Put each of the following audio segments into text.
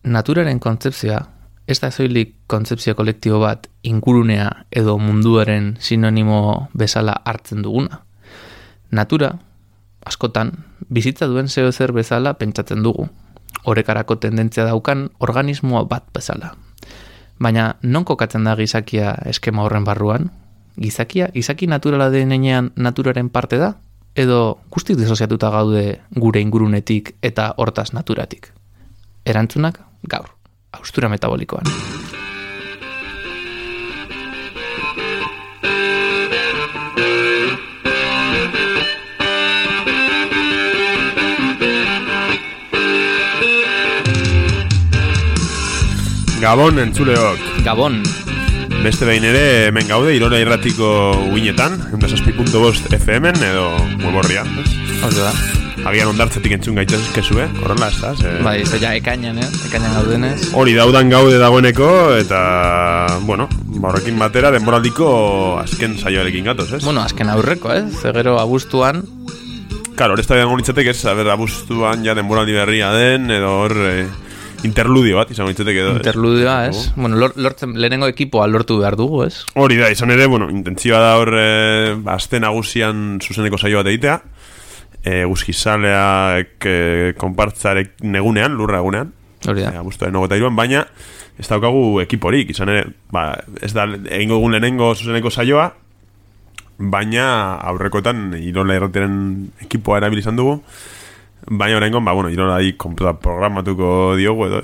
naturaren kontzepzioa ez da soilik kontzepzio kolektibo bat ingurunea edo munduaren sinonimo bezala hartzen duguna. Natura, askotan, bizitza duen zeo zer bezala pentsatzen dugu, orekarako tendentzia daukan organismoa bat bezala. Baina non kokatzen da gizakia eskema horren barruan? Gizaki naturala denean naturaren parte da? Edo guztiz desoziatuta gaude gure ingurunetik eta hortaz naturatik? Erantzunak gaur, haustura metabolikoan. Gabon entzuleok. Gabon. Beste behin ere hemen gaude Irola Irratiko uinetan, 106.5 FM-en edo Mueborrian, ez? Hori da. Agian ondartzetik entzun gaitezkezu, horrela, ez da? Bai, ez ja ekainan gaudenez. Hori daudan gaude dagoeneko, eta, bueno, horrekin batera denboraldiko azken saioarekin gatoz, ez? Bueno, azken aurreko, ez? Zegero abuztuan. Claro, hori ez da gonitzatek, ez? Abuztuan ja denboraldi berria den, edo hor... interludio bat, izango ditzetek edo. Interludioa, ez? Bueno, lortzen lehenengo ekipoa lortu behar dugu, ez? Hori da, izan ere, bueno, intentzioa da hor azte nagusian zuzeneko saio bat egitea, guzkizaleak konpartzarek negunean, lurra egunean. Hori da. Abuztuaren 23an, baina ez daukagu ekiporik, izan ere, ez da egingo egun lehenengo zuzeneko saioa, baina aurrekotan Irola Irratiaren ekipoa erabilizan dugu. Baina horrengon, Irolai programatuko diogu edo,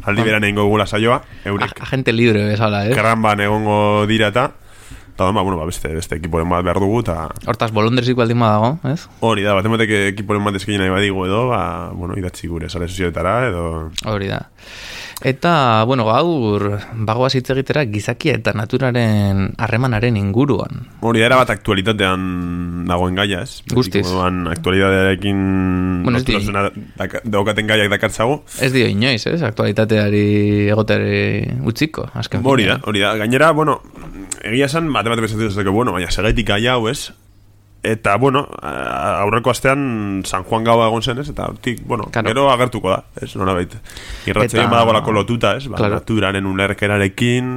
aldi beran egingo gula saioa, eurek. Agente libre bezala, Kerranban egongo dira eta beste ekiporen bat behar dugu, eta... Hortaz, bolondrezik baldin badago, ez? Hori da, batemotek ekiporen bat eskein nahi badigu edo, idatzi gure sare sozioetara edo... Hori da. Eta, gaur, bagoaz hitz egitera gizakia eta naturaren harremanaren inguruan. Hori da, erabat aktualitatean dagoen gaia, ez? Guztiz. Aktualitatearekin daukaten gaiak dakartzago. Ez dio inoiz, ez? Aktualitateari egoteari utziko, azken. Hori da. Gainera, egia esan, bate bezatu duzateko, baina segaitik gaia hau, ez? Eta, aurreko astean San Juan gaua egon zen, ez? Eta, hortik, gero agertuko da, ez? Nora baita. Irratzeien badagolako lotuta, ez? Naturaren ulerkerarekin...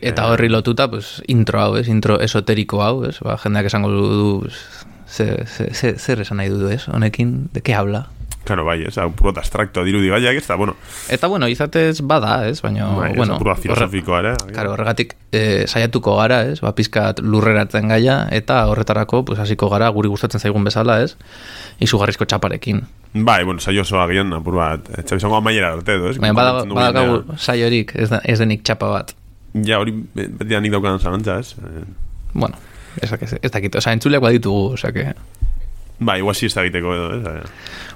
Eta horri lotuta, intro hau, ez? Intro esoteriko hau, ez? Jendeak esango du... Zer esan nahi du, ez? Honekin, de ke habla? Claro, bai, ez, puro abstrakto dirudi gaiak, ez da, Eta, izatez bada, ez, baina, puro filosofikoa, ere. Claro, horregatik saiatuko gara, ez, pizkat lurreratzen gaia, eta horretarako, hasiko gara, guri gustatzen zaigun bezala, ez, izugarrizko txaparekin. Bai, saio osoa gian, apur bat, txabizango amaiera arte edo, ez? Baina, badakagu saiorik, ez denik txapa bat. Ja, hori beti da nik daukadan zalantza, ez? Ez dakit, entzuleak baditugu, que... Bai, guazi ez da egiteko edo, ez?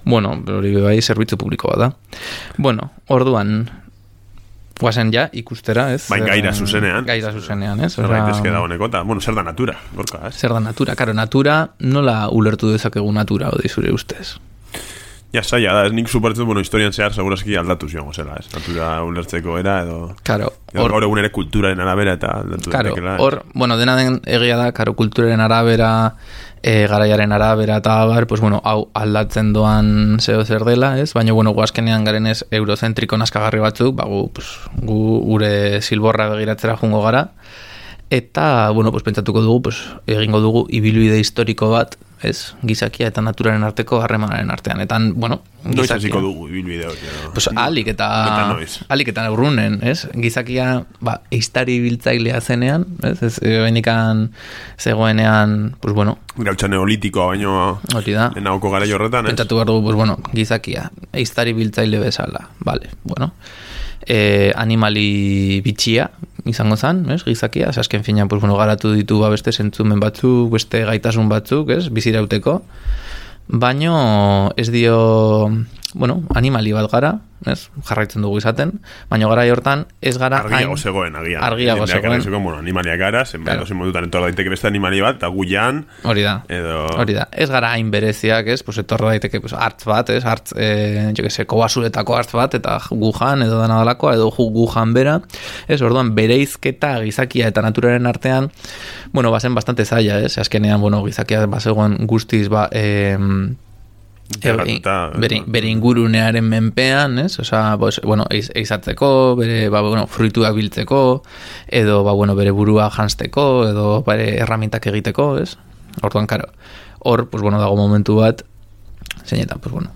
Hori bai, zerbitzu publiko bat da. Orduan, guazen ja, ikustera, ez? Gaira zuzenean. Ez? Zer daitezke dagoeneko, eta, zer da natura, gorka, ez? Zer da natura, karo, natura, nola ulertu dezakegu natura, hori zure ustez? Ja, zaila da, ez nik suportzen, historian zehar, segurazki aldatu zion, zela, ez? Natura ulertzeko era, edo... Karo, gaur egun ere kulturaren arabera, eta aldatu detekela. Karo, dena den egia da, karo, kulturaren arabera... garaiaren arabera eta abar, hau aldatzen doan zeo zer dela, ez? Baina, guazkenean garen ez eurozentriko naskagarri batzuk, gu gure zilborra begiratzera jungo gara, eta, pentsatuko dugu, egingo dugu ibilbide historiko bat, ez? Gizakia eta naturaren arteko harremanaren artean. Eta, noiz hasiko dugu ibilbide hori. Alik eta urrunen, ez? Gizakia, eiztari biltzailea zenean, ez? Ez benikan zegoenean, gautza neolitikoa baino lehenauko gara jorretan, ez? Pentsatu behar dugu, gizakia, eiztari biltzaile bezala, bale, animali bitxia izango zan, ez? Gizakia, azken finean, garatu ditu beste zentzumen batzuk, beste gaitasun batzuk, ez? Bizirauteko, baino ez dio, animali bat gara, ez? Jarraitzen dugu izaten, baina gara hortan ez gara argiago zegoen, argiago zegoen. Animaliak gara, zenbait modutan etor daiteke beste animali bat, eta guian, hori da, ez gara hain bereziak, ez? Etor daiteke hartz bat, ez? Hartz, kobazuletako hartz bat, eta gujan, edo dana dalakoa, edo gujan bera, ez? Orduan, bereizketa gizakia eta naturaren artean, bazen bastante zaila, ez? Azkenean, gizakia bazegoen guztiz, bere ingurunearen menpean, ez? Osea, bueno, eizatzeko, bere, bueno, fruituak biltzeko, edo, bueno, bere burua jansteko, edo bere erramintak egiteko, ez? Orduan, karo, hor, pues, bueno, dago momentu bat, zeinetan, pues, bueno,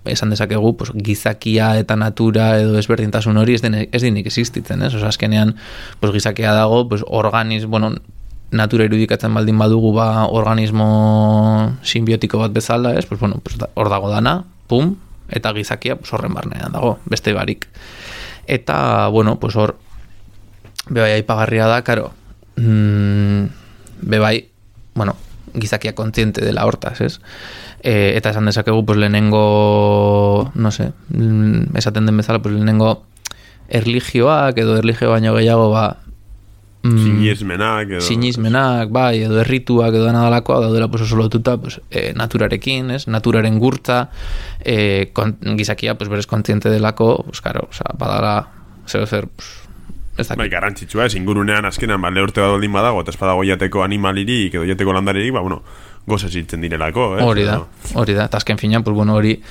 esan dezakegu, pues, gizakia eta natura edo ezberdintasun hori ez dinik existitzen, ez? Osea, azkenean, pues, gizakia dago, pues, bueno, natura irudikatzen baldin badugu organismo simbiotiko bat bezala, ez? Pues, bueno, pues, hor dago dana, pum, eta gizakia, pues, horren barnean dago, beste barik. Eta, bueno, pues, hor, bebai aipagarria da, karo, bebai, bueno, gizakia kontziente dela hortaz, ez? Eta esan dezakegu, pues, lehenengo, no sé, esaten den bezala, pues, lehenengo erligioak, edo erligio baino gehiago, sinismenak, bai, edo errituak, edo nadalakoa, daudela, pues, oso lotuta, pues, naturarekin, ez? Naturaren gurtza, gizakia, pues, berez kontziente delako, pues, karo, oza, badala, zer, pues, bai, garantzitsua, ez, ingurunean azkenan, lehorte bat baldin badago, eta espadago jateko animalirik, edo jateko landaririk, bueno, gozaz hitzen direlako, hori da, eta azken finean, pues, bueno, hori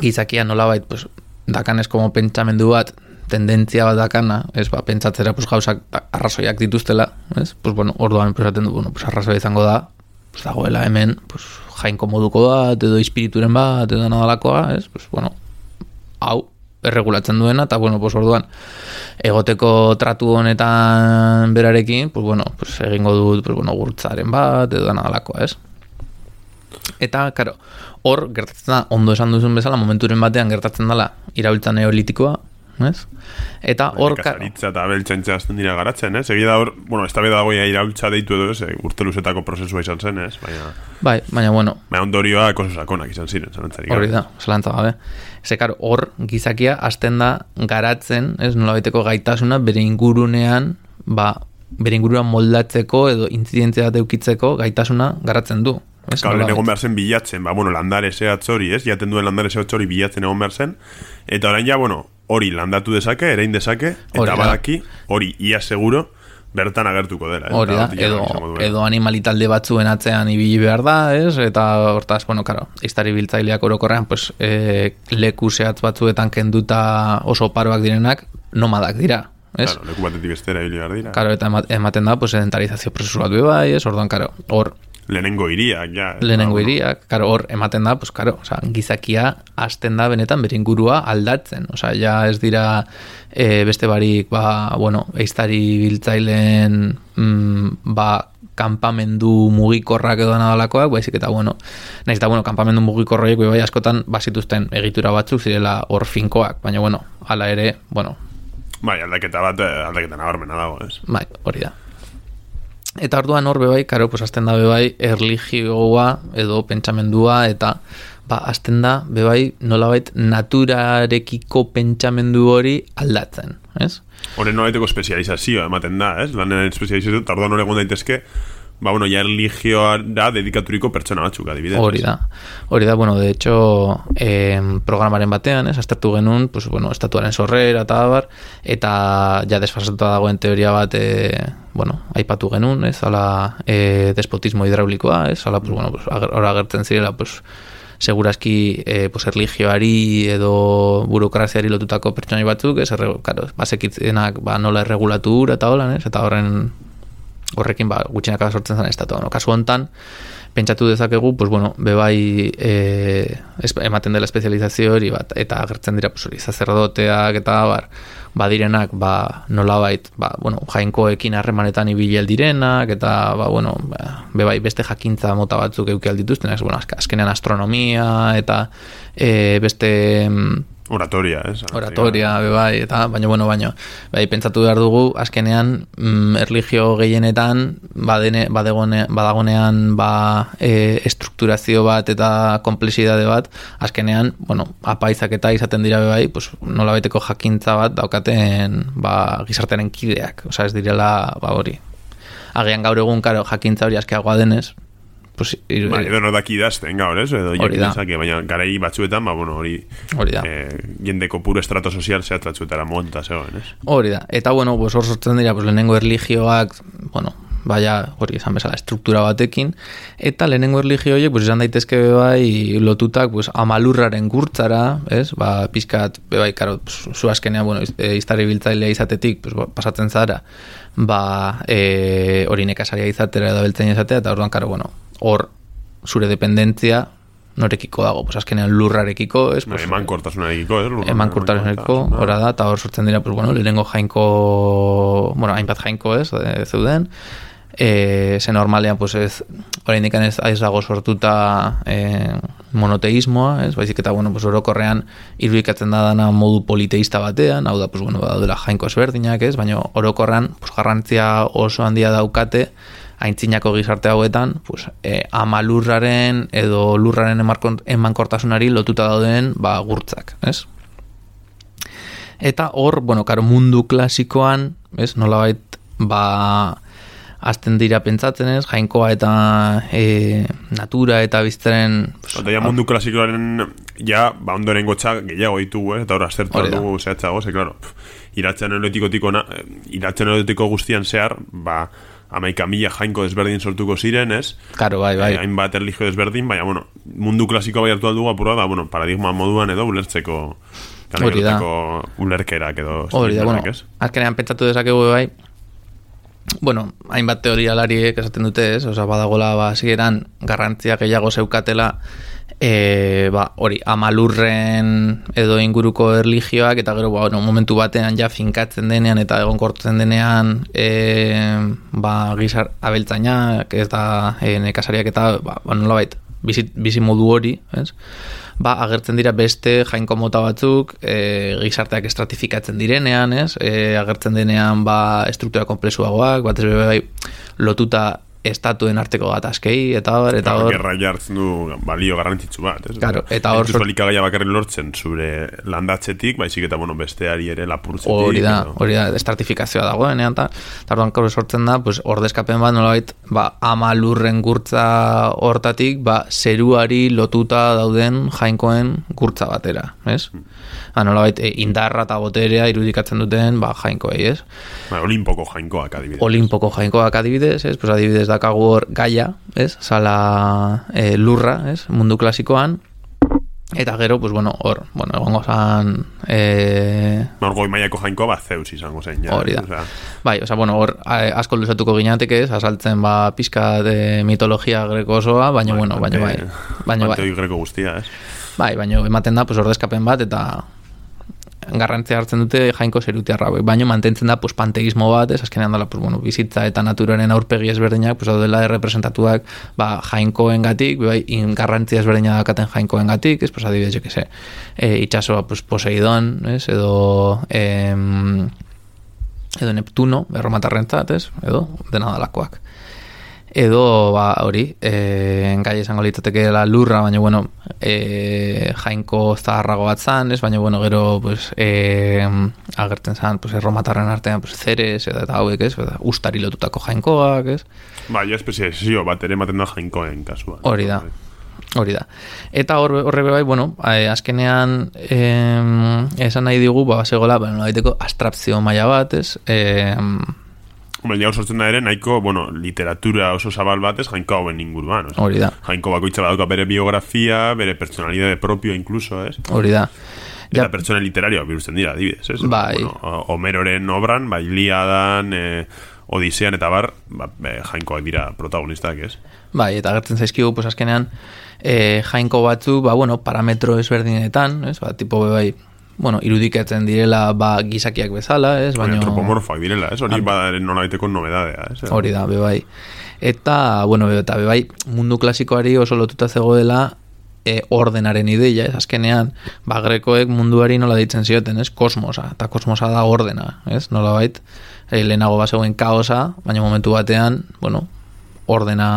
gizakia nolabait, pues, dakanez como pentsamendu bat, tendentzia bat dakana, ez, pentsatzera, pues, gauzak arrazoiak dituztela, ez, pues, bueno, orduan, pues, atendu, bueno, pues, arrazoia izango da, pues, dagoela hemen, pues, jainko moduko bat, edo espirituren bat, edo nadalakoa, ez, pues, bueno, hau, erregulatzen duena, eta, bueno, pues, orduan, egoteko tratu honetan berarekin, pues, bueno, pues, egingo dut, pues, bueno, gurtzaren bat, edo nadalakoa, ez. Eta, karo, hor, gertatzen da, ondo esan duzun bezala, momenturen batean gertatzen dela, irabiltza neolitikoa, ez? Eta hor... Nekazaritza eta abeltzaintza azten dira garatzen, ez? Egia da hor, bueno, ez da beda goia irabiltza deitu edo, ez? Urte luzetako prozesua izan zen, ez? Baina, bueno... Baina ondorioa oso sakonak izan ziren, zalantzarik. Hori da, zalantza gabe. Zekar, hor, gizakia azten da garatzen, ez? Nolabaiteko gaitasuna bere ingurunean, bere inguruan moldatzeko edo intzidentzia bat eukitzeko gaitasuna garatzen du. Kaulen egon behar zen bilatzen, bueno, landare zehatz hori, ez? Jaten duen landare zehatz hori bilatzen egon behar zen. Eta orain ja, bueno, hori landatu dezake, erein dezake, eta badaki, hori ia seguro, bertan agertuko dela. Hori da, edo animalitalde batzuen atzean ibili behar da, ez? Eta hortaz, bueno, karo, iztari biltzaileak orokorrean, pues, leku zehatz batzuetan kenduta oso paroak direnak, nomadak dira. Ez? Claro, leku batetik bestera ibili behar dira. Karo, eta ematen da, pues, sedentarizazio prozesu bat bai, ez? Orduan, karo, hor... Lehenengo iriak, ja. Lehenengo iriak, karo, hor, ematen da, pues, karo, oza, gizakia hasten da benetan bere ingurua aldatzen. Oza, ja ez dira beste barik, bueno, eiztari biltzaileen, kanpamendu mugikorrak edo nadalakoak, baizik eta, bueno, nahiz eta, bueno, kanpamendu mugikorroiek bai askotan bazituzten egitura batzuk zirela hor finkoak, baina, bueno, hala ere, bueno... Bai, aldaketa nabarmena dago, ez? Bai, hori da. Eta orduan hor bebai, karo, pues azten da bebai erligioa edo pentsamendua eta azten da bebai nolabait naturarekiko pentsamendu hori aldatzen, ez? Horren nolabaiteko espezializazioa ematen da, ez? Lanen espezializazioa, eta orduan hori egon daitezke, bueno, ja erligioa da dedikaturiko pertsona batzuk, adibidez. Hori da, bueno, de hecho, programaren batean, ez, aztertu genuen, pues, bueno, estatuaren sorrera eta abar, eta ja desfasatuta dagoen teoria bat, bueno, aipatu genuen, ez, ala despotismo hidraulikoa, ez, ala, pues, bueno, pues, hor agertzen zirela, pues, segurazki, pues, erligioari edo burokraziari lotutako pertsonai batzuk, ez, claro, basekitzenak, nola erregulatu eta holan, ez, eta horrekin gutxinaka sortzen zen estatua. No? Kasu hontan, pentsatu dezakegu, pues bueno, bebai ematen dela espezializazio hori bat, eta agertzen dira, pues hori, sacerdoteak eta badirenak, nolabait, bueno, jainkoekin harremanetan ibili direnak, eta, bueno, bebai beste jakintza mota batzuk euki aldituzten, bueno, azkenean astronomia, eta beste... Oratoria, ez? Oratoria, bebai, eta, bai, pentsatu behar dugu, azkenean, erligio gehienetan, badagonean, estrukturazio bat eta komplexidade bat, azkenean, bueno, apaizak eta izaten dira bebai, pues, nolabaiteko jakintza bat daukaten, gizartearen kideak, oza, ez direla, hori. Agian gaur egun, karo, jakintza hori askeagoa denez, pues, edo no daki idazten gaur, ez? Edo jakintzake, baina garai batzuetan, bueno, hori da. Jendeko puro estrato sozial zehat batzuetara monta zegoen, ez? Hori da. Eta, bueno, pues, hor sortzen dira, pues, lehenengo erligioak, bueno, baina hori esan bezala estruktura batekin, eta lehenengo erlijio horiek, pues, izan daitezke bai lotutak pues, amalurraren gurtzara, ez? Pizkat, bai, karo, pues, zu azkenean, bueno, iztari biltzailea izatetik, pues, pasatzen zara, hori nekasaria izatera edo beltzen izatea, eta orduan, karo, bueno, hor zure dependentzia norekiko dago, pues azkenean lurrarekiko, ez? Pues, emankortasunarekiko, emankortasunarekiko, hora da, eta hor sortzen dira, pues, bueno, lehenengo jainko, bueno, hainbat jainko, ez, zeuden, ze normalean, pues, ez, oraindik ez dago sortuta monoteismoa, ez, baizik eta, bueno, pues, orokorrean irudikatzen da dana modu politeista batean, hau da, pues, bueno, daudela jainko ezberdinak, ez, baina orokorrean, pues, garrantzia oso handia daukate, aintzinako gizarte hauetan, pues, ama lurraren edo lurraren emankortasunari lotuta dauden gurtzak, ez? Eta hor, bueno, karo, mundu klasikoan, ez, nolabait, azten dira pentsatzen, ez, jainkoa eta natura eta biztaren... Eta ja mundu klasikoaren, ja, ondoren gotxa gehiago ditugu, eta hor, aztertu dugu zehatzago, claro, iratzen erotiko guztian zehar, 11.000 jainko desberdin sortuko ziren, ez? Claro, bai. Hainbat erlijio desberdin, baina, bueno, mundu klasikoa bai hartu aldugu apurra da, bueno, paradigma moduan edo ulertzeko ulerkerak edo... Hori da, bueno, azkenean pentsatu dezakegu bai, bueno, hainbat teorialariek esaten dute, ez? Osa, badagola, zigeran, garrantzia gehiago zeukatela, hori, amalurren edo inguruko erlijioak, eta gero, bueno, momentu batean ja finkatzen denean eta egonkortzen denean gizar abeltzainak, ez da nekasariak eta, nolabait, bizi modu hori, ez? Agertzen dira beste jainko mota batzuk, gizarteak estratifikatzen direnean, ez? Agertzen denean, estruktura komplexuagoak, batez bai lotuta estatuen arteko gatazkei, eta hor... Gerra jartzen du balio garrantzitsu bat, ez? Claro, eta hor... Entzuz elikagaia bakarrik lortzen zure landatzetik, baizik eta, bueno, besteari ere lapurtzetik. Hori da, estratifikazioa dagoenean, eta orduan sortzen da, pues, ordezkapen bat, nolabait, ama lurren gurtza hortatik, zeruari lotuta dauden jainkoen gurtza batera, ez? Nolabait, indarra eta boterea irudikatzen duten, jainkoei, ez? Olimpoko jainkoak adibidez, ez? Pues adibidez dakagu hor gaia, ez? Zala lurra, ez? Mundu klasikoan. Eta gero, pues bueno, hor, egongo zan... Goi maiako jainkoa Zeus izango zen, ja. Hori da. Bai, bueno, hor asko luzatuko ginateke, ez? Azaltzen pizka de mitologia greko osoa, baina bai. Panteoi greko guztia, ez? Bai, baina ematen da, pues, ordezkapen bat, eta garrantzia hartzen dute jainko zerutiarra, baina mantentzen da pues, panteismo bat, ez azkenean dela pues, bueno, bizitza eta naturaren aurpegi ezberdinak, pues, daudela errepresentatuak jainkoen gatik, garrantzia ezberdina dakaten jainkoen gatik, ez, pues, adibidez, jo que se, itxasoa pues, Poseidon, ez, edo Neptuno, erromatarrentzat, ez, edo dena dalakoak. Edo, hori, gai esango litzateke la lurra, baina, bueno, jainko zaharrago bat zan, ez, baina, bueno, gero, pues, agertzen zan, pues, erromatarren artean, pues, Zeres, eta hauek, ez, ustari lotutako jainkoak, ez. Ja espezializazio bat ere ematen da jainkoen kasuan. Hori da. Eta horre bai, bueno, azkenean esan nahi digu, segola, nolabaiteko abstrakzio maila bat, ez, Hau sortzen da ere, nahiko, literatura oso zabal batez, jainko hauen inguruan. Hori da. Jainko bakoitza badauka bere biografia, bere personalidade propio inkluso, ez? Hori da. Eta pertsona literarioa birusten dira, adibidez, ez? Bai. Homeroren obran, Iliadan, Odisean eta bar, jainkoak dira protagonistak, ez? Bai, eta agertzen zaizkigu, pues azkenean, jainko batzu, parametro ezberdinetan, ez? Tipo, bai, irudikatzen direla gizakiak bezala, ez? Antropomorfoak direla, ez? Hori badaren nolabaiteko nobedadea, ez? Hori da, bai. Eta, bai, mundu klasikoari oso lotuta zegoela ordenaren ideia, ez? Azkenean, grekoek munduari nola ditzen zioten, ez? Kosmosa, eta kosmosa da ordena, ez? Nolabait, lehenago bazegoen kaosa, baina momentu batean, ordena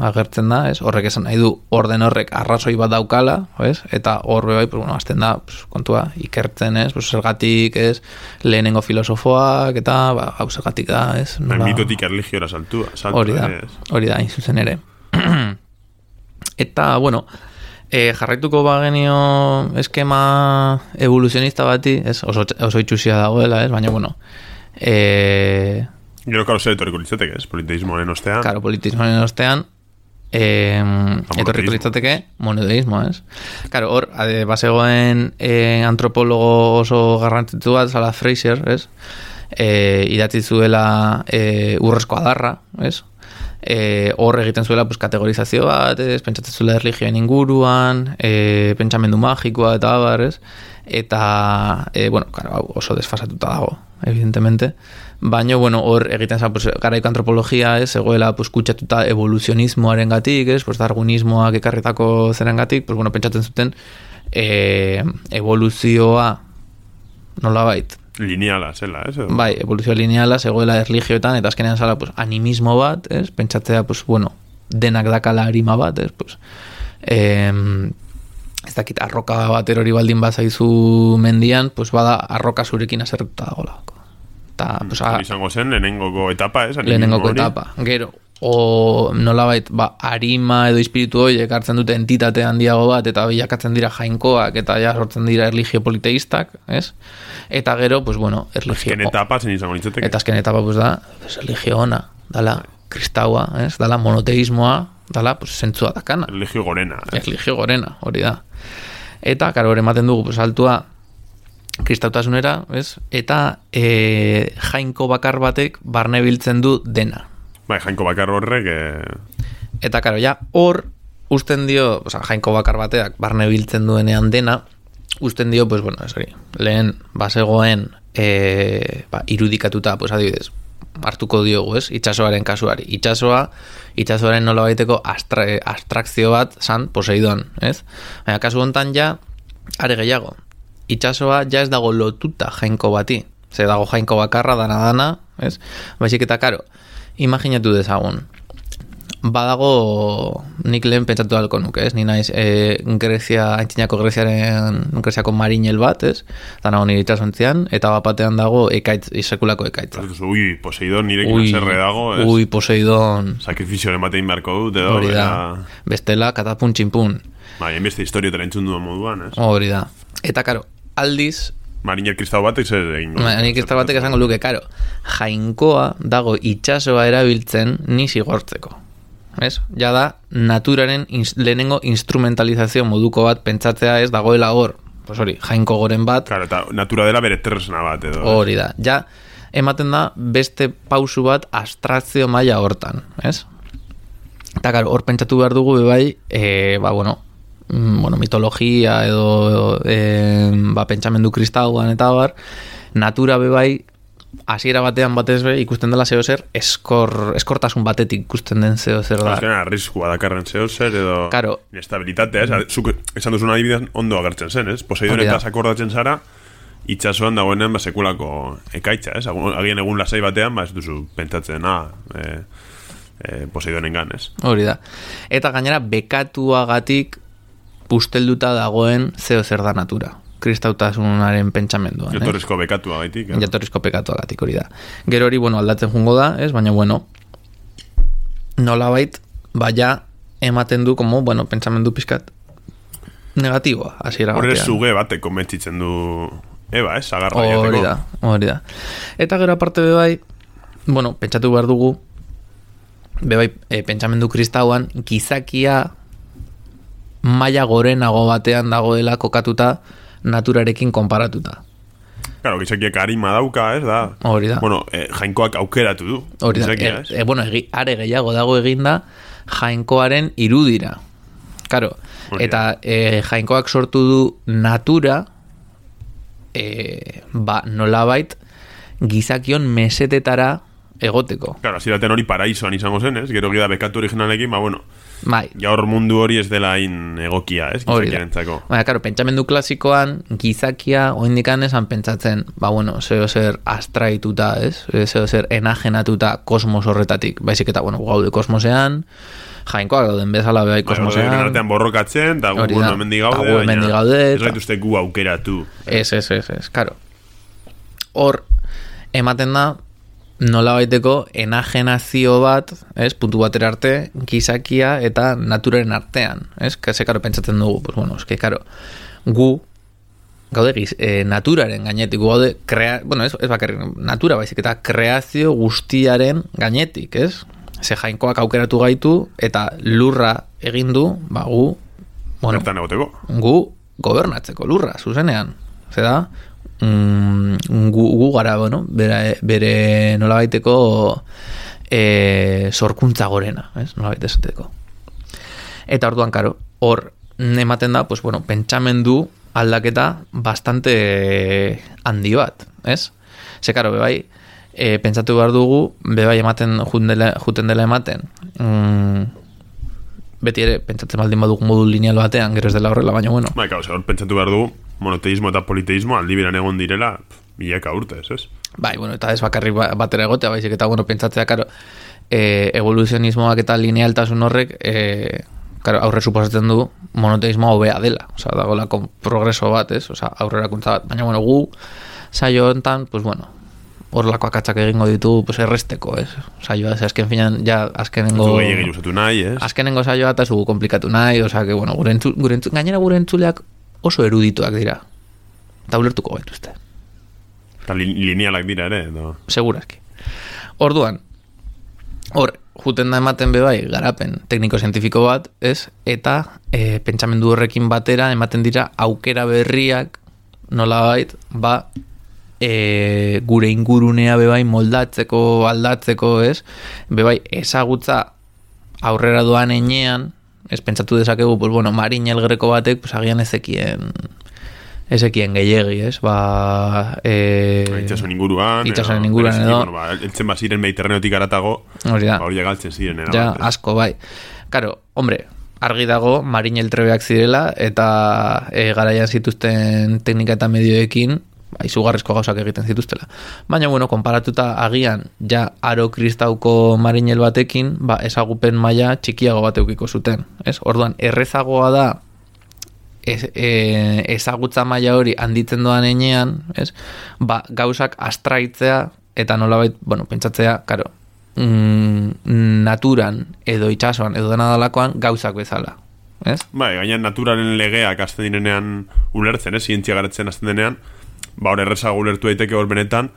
agertzen da, ez? Horrek esan nahi du orden horrek arrazoi bat daukala, ez? Eta horre bai, azten da, kontua, ikertzen, ez? Zergatik, ez? Lehenengo filosofoak, eta, hau zergatik da, ez? Mitotik erligiora saltua. Hori da, zuzen ere. Eta, jarraituko bagenio eskema evoluzionista bati, ez? Oso itxusia dagoela, ez? Baina, Gero, karo, zer etorriko litzateke, ez? Politeismoaren ostean. Claro, politeismoaren ostean, etorriko litzateke monoteismo, ez? Claro, hor, bazegoen antropologo oso garrantzitsu bat, Zala Fraser, ez? Idatzi zuela urrezko adarra, ez? Hor egiten zuela pues, kategorizazio bat, ez? Pentsatzen zuela erligioen inguruan, pentsamendu magikoa eta abar, ez? Eta, bueno, claro, oso desfasatuta dago, evidentemente. Baina, bueno, hor egiten za, pues, garaiko antropologia, ez? Egoela, pues, kutsatuta evoluzionismoaren gatik, ez? Pues, darwinismoak ekarritako zeren gatik, pues, bueno, pentsatzen zuten evoluzioa nolabait, lineala, zela, ez? Bai, evoluzio lineala, zegoela erligioetan, eta azkenean zala, pues, animismo bat, ez? Pentsatzea, pues, bueno, denak dakala arima bat, ez? Pues, ez dakit, arroka bat erori baldin bazaizu mendian, pues, bada arroka zurekin azertuta dagoela. Ta, pues, izango zen, lehenengoko etapa, ez? Lehenengoko etapa. Gero, o nolabait, arima edo espiritu horiek hartzen dute entitate handiago bat, eta bilakatzen dira jainkoak, eta ja sortzen dira erligio politeistak, ez? Eta gero, pues bueno, erligio... Azken etapa zen izango nintzateke. Eta azken etapa, pues da, pues, erligio ona, dala kristaua, ez? Dala monoteismoa, dala, pues, zentzua dakana. Erligio gorena. Erligio gorena, hori da. Eta, karo, hori ematen dugu, pues, altua kristautasunera, ez? Eta jainko bakar batek barne biltzen du dena. Bai, jainko bakar horrek... Eta, karo, ja, hor usten dio, jainko bakar bateak barne biltzen duenean dena, usten dio, pues, bueno, esari, lehen bazegoen irudikatuta, pues, adibidez, hartuko diogu, ez? Itxasoaren kasuari. Itxasoaren nola baiteko abstrakzio bat zan Poseidon, ez? Baina, kasu hontan ja, are gehiago. Itxasoa ja ez dago lotuta jainko bati. Ze dago jainko bakarra, dana, ez? Baizik eta, karo, imaginatu dezagun. Badago, nik lehen pentsatu halko nuke, ez? Ni naiz aintzinako Greziako marinel bat, ez? Dana honi itxasontzian, eta bapatean dago ekaitz, sekulako ekaitza. Ui, Poseidon nirekin zerre dago, ez? Ui, Poseidon. Sakrifizioaren batein beharko dut, edo? Hori da. Bestela, katapun txinpun. Bai, enbeste historiotara entzun duen moduan, ez? Hori da. Eta, karo, aldiz... Mariner kristau batek zer egin. Mariner kristau batek esango luke, karo, jainkoa dago itxasoa erabiltzen ni zigortzeko. Ez? Ja da, naturaren lehenengo instrumentalizazio moduko bat pentsatzea ez dagoela hor. Pues hori, jainko goren bat. Claro, eta natura dela bere tresna bat edo. Hori da. Ja, ematen da beste pausu bat abstrakzio maila hortan, ez? Eta, karo, hor pentsatu behar dugu bebai, mitologia edo pentsamendu kristauan eta bar, natura bebai hasiera batean batez be ikusten dela zeo zer eskortasun batetik ikusten den zeo zer da. Azkenean arriskua dakarren zeo zer edo claro. Inestabilitatea, zuk esan duzun adibidean ondo agertzen zen, ez? Poseidon eta akordatzen zara itxasoan dagoenean sekulako ekaitza, ez? Agien egun lasai batean, ez duzu pentsatzen, Poseidonengan, ez? Hori da. Eta gainera bekatuagatik ustelduta dagoen zeo zer da natura. Kristautasunaren pentsamenduan. Jatorrizko bekatua gaitik. Jatorrizko bekatua gatik hori da. Gero hori, aldatzen jungo da, ez? Baina, nolabait, ematen du, pentsamendu pizkat negatiboa, hasiera batean. Horre zuge batek konbentzitzen du Eba, ez? Agarra jateko. Hori da. Eta gero aparte bebai, pentsatu behar dugu, bebai, pentsamendu kristauan, gizakia maila gorenago batean dagoela kokatuta naturarekin konparatuta. Claro, gizakiak harima dauka, ez da? Hori da. Jainkoak aukeratu du. Hori da. Are gehiago dago eginda jainkoaren irudira. Claro, eta jainkoak sortu du natura nolabait gizakion mesetetara egoteko. Claro, aziraten hori paraisoan izango zen, ez? Gero gida bekatu originalekin, bai. Gaur mundu hori ez dela hain egokia, ez? Gizakiarentzako. Claro, pentsamendu klasikoan gizakia oindikan esan pentsatzen, zeo zer astraituta, ez? Zeo zer enajenatuta kosmos horretatik. Baizik eta, gaude kosmosean, jainkoak dauden bezala behai kosmosean. Hori artean borrokatzen, eta gu hemendi gaude, baina ez gaituzte gu aukeratu. Ez, claro. Hor, ematen da, nola baiteko enajenazio bat, ez, puntu batera arte, gizakia eta naturaren artean, ez, karo, pentsatzen dugu, gu gaude naturaren gainetik, gaude ez bakarrik natura baizik eta kreazio guztiaren gainetik, ez? Ze jainkoak aukeratu gaitu eta lurra egin du, gu bertan egoteko. Gu gobernatzeko lurra, zuzenean. Zeda, gu gara, bere nolabaiteko sorkuntza gorena, ez? Nolabait esateko. Eta orduan, karo, hor ematen da, pentsamendu aldaketa bastante handi bat, ez? Ze, karo, bebai, pentsatu behar dugu, bebai juten dela ematen, beti ere, pentsatzen baldin badugu modu lineal batean, gero ez dela horrela, baina bueno. Hor pentsatu behar dugu, monoteismo eta politeismo aldi beran egon direla, milaka urtez, ez? Eta ez bakarrik batera egotea, baizik eta, pentsatzea, karo, evoluzionismoak eta linealtasun horrek, aurre suposatzen du monoteismoa hobea dela, dagoela progreso bat, ez? Aurrerakuntza bat, baina, gu saio hontan, horrelako akatsak egingo ditu erresteko, ez? Saioa, azken finan, azkenengo... Azkenengo saioa eta zugu komplikatu nahi, gainera gure entzuleak oso erudituak dira. Eta ulertuko gaituzte. Eta linealak dira ere, no? Segurazki. Orduan, hor, juten da ematen bebai, garapen tekniko-zientifiko bat, ez? Eta pentsamendu horrekin batera ematen dira aukera berriak nolabait, gure ingurunea bebai moldatzeko, aldatzeko, ez? Bebai, ezagutza aurrera doan enean, ez pentsatu dezakegu, Marin Elgreko batek, agian ezekien gehiegi, ez? Itxasoen inguruan edo eltzen baziren Mediterraneotik aratago hori galtzen ziren asko, bai. Karo, hombre, argi dago Marin Eltrebeak zirela eta garaian zituzten teknika eta medioekin izugarrizko gauzak egiten zituztela. Baina, konparatuta agian aro kristauko marinel batekin, ezagupen maila txikiago bat eukiko zuten. Ez? Orduan, errezagoa da ezagutza maila hori handitzen doan enean, ez? Gauzak astraitzea eta nolabait, pentsatzea, karo, naturan edo itxasoan edo dena dalakoan gauzak bezala. Ez? Gainan naturaren legeak azten direnean ulertzen, zientzia garatzen azten denean, hor errezago ulertu daiteke hor benetan,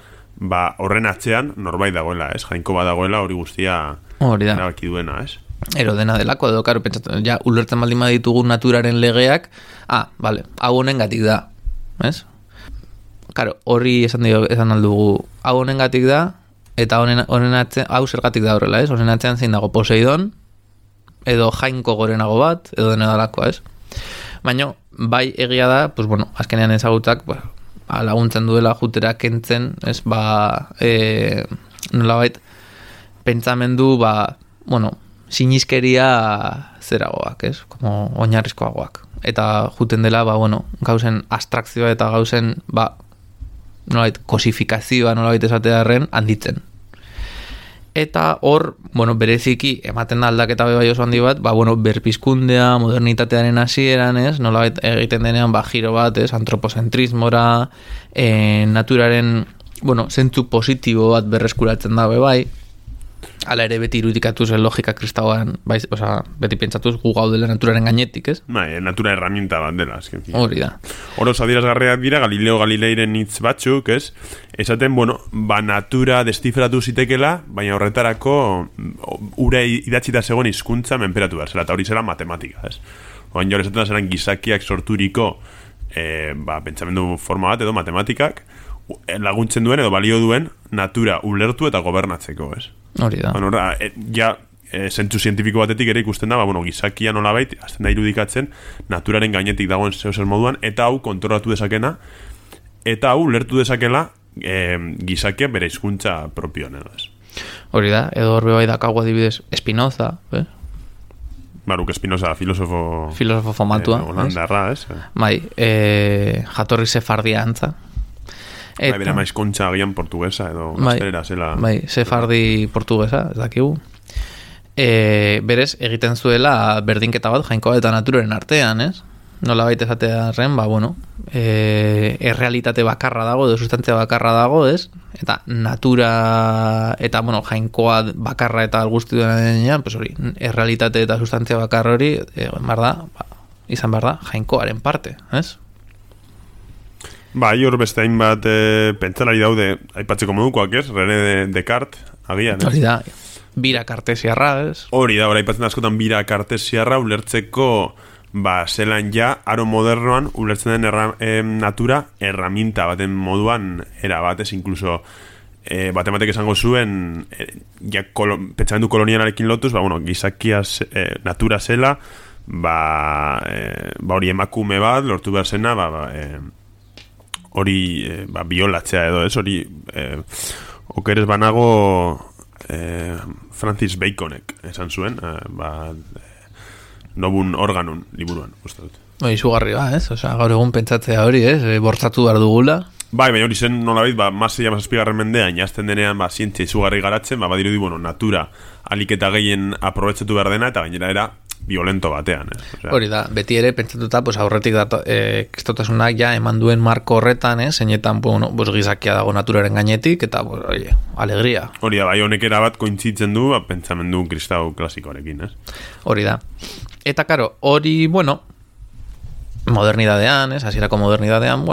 horren atzean norbait dagoela, ez? Jainko bat dagoela hori guztia erabaki duena, ez? Ero dena delako, edo, karo, pentsatu, ulertzen baldin baditugu naturaren legeak, hau honengatik da, ez? Karo, hori esan aldugu, hau honengatik da, eta honen atzean, hau zergatik da horrela, ez? Honen atzean zein dago Poseidon, edo jainko gorenago bat, edo dena delakoa, ez? Baina, bai egia da, azkenean ezagutzak, laguntzen duela jutera kentzen, ez, nolabait, pentsamendu, sinizkeria zeragoak, ez, como oinarrizkoagoak. Eta juten dela, gauzen abstrakzioa eta gauzen, nolabait, kosifikazioa nolabait esatearen handitzen. Eta hor, bereziki ematen da aldaketa bai oso handi bat, berpizkundea, modernitatearen hasieran, ez, nolabait egiten denean giro bat, ez, antropozentrismora, naturaren, zentzu positibo bat berreskuratzen da bai. Hala ere beti irudikatu zen logika kristauan, beti pentsatuz gu gaudela naturaren gainetik, ez? Natura herramienta bat dela, azken fin. Hori da. Horo zadierazgarriak dira, Galileo Galileiren hitz batzuk, ez? Esaten, natura destifratu zitekela, baina horretarako ura idatzita zegoen hizkuntza menperatu behar zela, eta hori zela matematika, ez? Oain jor esaten zelan gizakiak sorturiko pentsamendu forma bat edo matematikak laguntzen duen edo balio duen natura ulertu eta gobernatzeko, ez? Hori da. Zentzu zientifiko batetik ere ikusten da, gizakia nolabait, azten da irudikatzen, naturaren gainetik dagoen zehozer moduan, eta hau kontrolatu dezakena, eta hau lertu dezakela gizakia bere hizkuntza propioan, edo ez. Hori da, edo horbe bai dakago adibidez Spinoza, ez? Baruk Spinoza, filosofo famatua, holandarra, ez? Jatorri sefardia antza. Bera maiz kontxa agian portuguesa edo gaztelera zela. Sefardi portuguesa, ez dakigu. Berez, egiten zuela berdinketa bat jainkoa eta naturaren artean, ez? Nola baita esatearen, errealitate bakarra dago, edo sustantzia bakarra dago, ez? Eta natura, eta, jainkoa bakarra eta guzti duenean, hori, errealitate eta sustantzia bakarra hori, izan behar da, jainkoaren parte, ez? Bai, hor beste hainbat pentsalari daude aipatzeko modukoak, ez? René Descartes, agian, ez? Hori da, bira kartesiarra, ez? Hori da, aipatzen askotan bira kartesiarra ulertzeko zelan ja, aro modernoan ulertzen den natura erraminta baten moduan erabatez, incluso batematek esango zuen pentsamendu kolonialarekin lotuz, gizakia natura zela, hori emakume bat lortu behar zena, hori biolatzea edo, ez? Hori okeres banago Francis Baconek esan zuen, nobun organun liburuan, uste dut. Izugarri ez? Osea, gaur egun pentsatzea hori, ez? Bortzatu behar dugula. Baina hori zen nolabait, Marseilla mazazpigarren mendean, jazten denean, zientzia izugarri garatzen, badirudi, natura aliketa gehien aprobetsatu behar dena, eta gainera era violento batean, ez? Osea, hori da, beti ere pentsatuta, aurretik kristotasunak ja eman duen marko horretan, zeinetan, gizakia dago naturaren gainetik, eta, alegria. Hori da, bai honek erabat kointzitzen du, pentsamendu kristau klasikoarekin, ez? Hori da. Eta, karo, hori, modernidadean, hasierako modernidadean,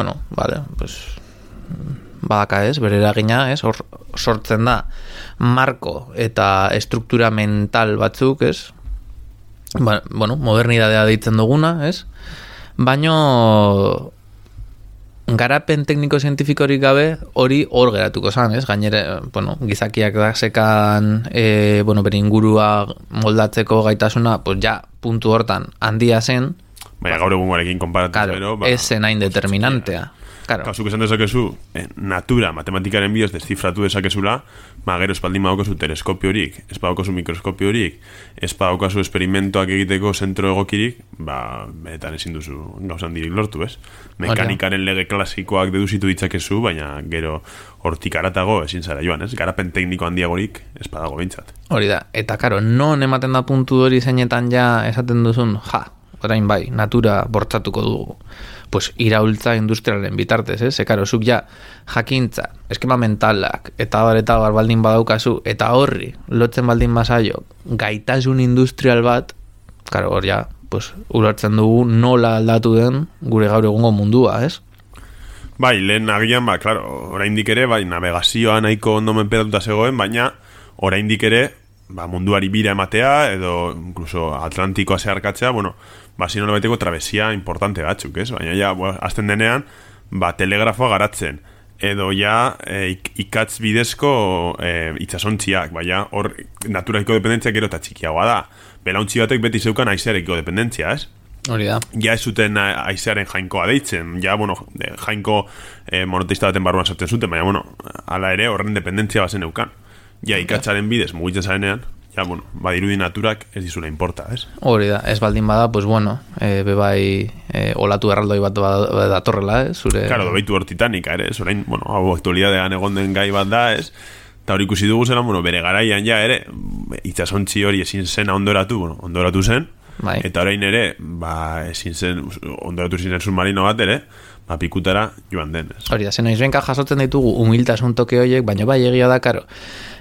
badaka bere eragina, hor sortzen da marko eta estruktura mental batzuk, modernidadea deitzen duguna, baino garapen tekniko-zientifikorik gabe hori hor geratuko zan, gainera, gizakiak da sekan bere ingurua moldatzeko gaitasuna, ja, puntu hortan handia zen, baina gaur egungoarekin konparatuz, ez zen hain determinantea. Kasuk esan dezakezu, natura, matematikaren bidez deszifratu dezakezula, gero espaldin badokazu teleskopiorik, ez badokazu mikroskopiorik, ez badokazu esperimentoak egiteko zentro egokirik, benetan ezin duzu gauzan dirik lortu, ez? Mekanikaren lege klasikoak deduzitu ditzakezu, baina gero hortik aratago ezin zara joan, ez? Garapen tekniko handiagorik ez badago behintzat. Hori da, eta karo, non ematen da puntu hori zeinetan ja esaten duzun, orain bai, natura bortzatuko dugu. Iraultza industrialen bitartez, karo, zuk ja jakintza, eskema mentalak, eta baldin badaukazu, eta horri, lotzen baldin bazaio, gaitasun industrial bat, karo, hor ja, ulertzen dugu nola aldatu den gure gaur egungo mundua, ez? Bai, lehen agian, klaro, oraindik ere, navegazioa nahiko ondo menperatuta zegoen, baina oraindik ere, munduari bira ematea, edo incluso Atlantikoa zeharkatzea, zino baiteko trabesia importante batzuk, ez? Baina ja, azten denean, telegrafoa garatzen, edo ja ikatz bidezko itxasontziak, baina hor naturaiko dependentzia gero eta txikiagoa da. Belauntzi batek beti zeukan aizearekiko dependentzia, ez? Hori da. Ja ez zuten aizearen jainkoa deitzen, ja, jainko monoteista baten barruan sartzen zuten, baina, ala ere horren dependentzia bazen eukan. Ja, ikatzaren bidez mugitzen zarenean, ja, badirudi naturak ez dizula importa, ez? Hori da, ez baldin bada, bebai olatu erraldoi bat datorrela, zure... Claro, dobeitu hor Titanica, ere, zorain, hau aktualidadean egon den gai bat da, ez? Eta hori ikusi dugu zela, bere garaian ja, ere, itxasontzi hori ezin zen ondoratu zen, eta orain ere, ezin zen, ondoratu zen submarino bat, ere, pikutara joan den, ez? Hori da, zen noizbenka jasotzen ditugu humiltasun toke horiek, baina egia da, karo,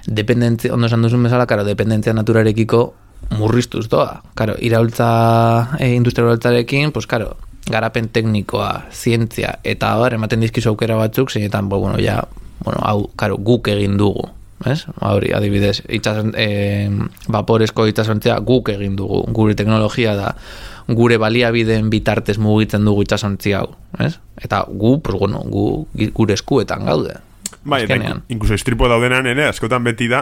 dependentzia, ondo esan duzun bezala, karo, dependentzia naturarekiko murriztuz doa. Karo, iraultza, industrialtzarekin, karo, garapen teknikoa, zientzia, eta ematen dizkizu aukera batzuk, zeinetan, hau, karo, guk egin dugu, ez? Hori, adibidez, vaporezko itxasontzea guk egin dugu, gure teknologia da, gure baliabideen bitartez mugitzen dugu itxasontzi hau, ez? Eta gu gure eskuetan gaude. Bai, eta inkluso istripo daudenan ere, askotan beti da,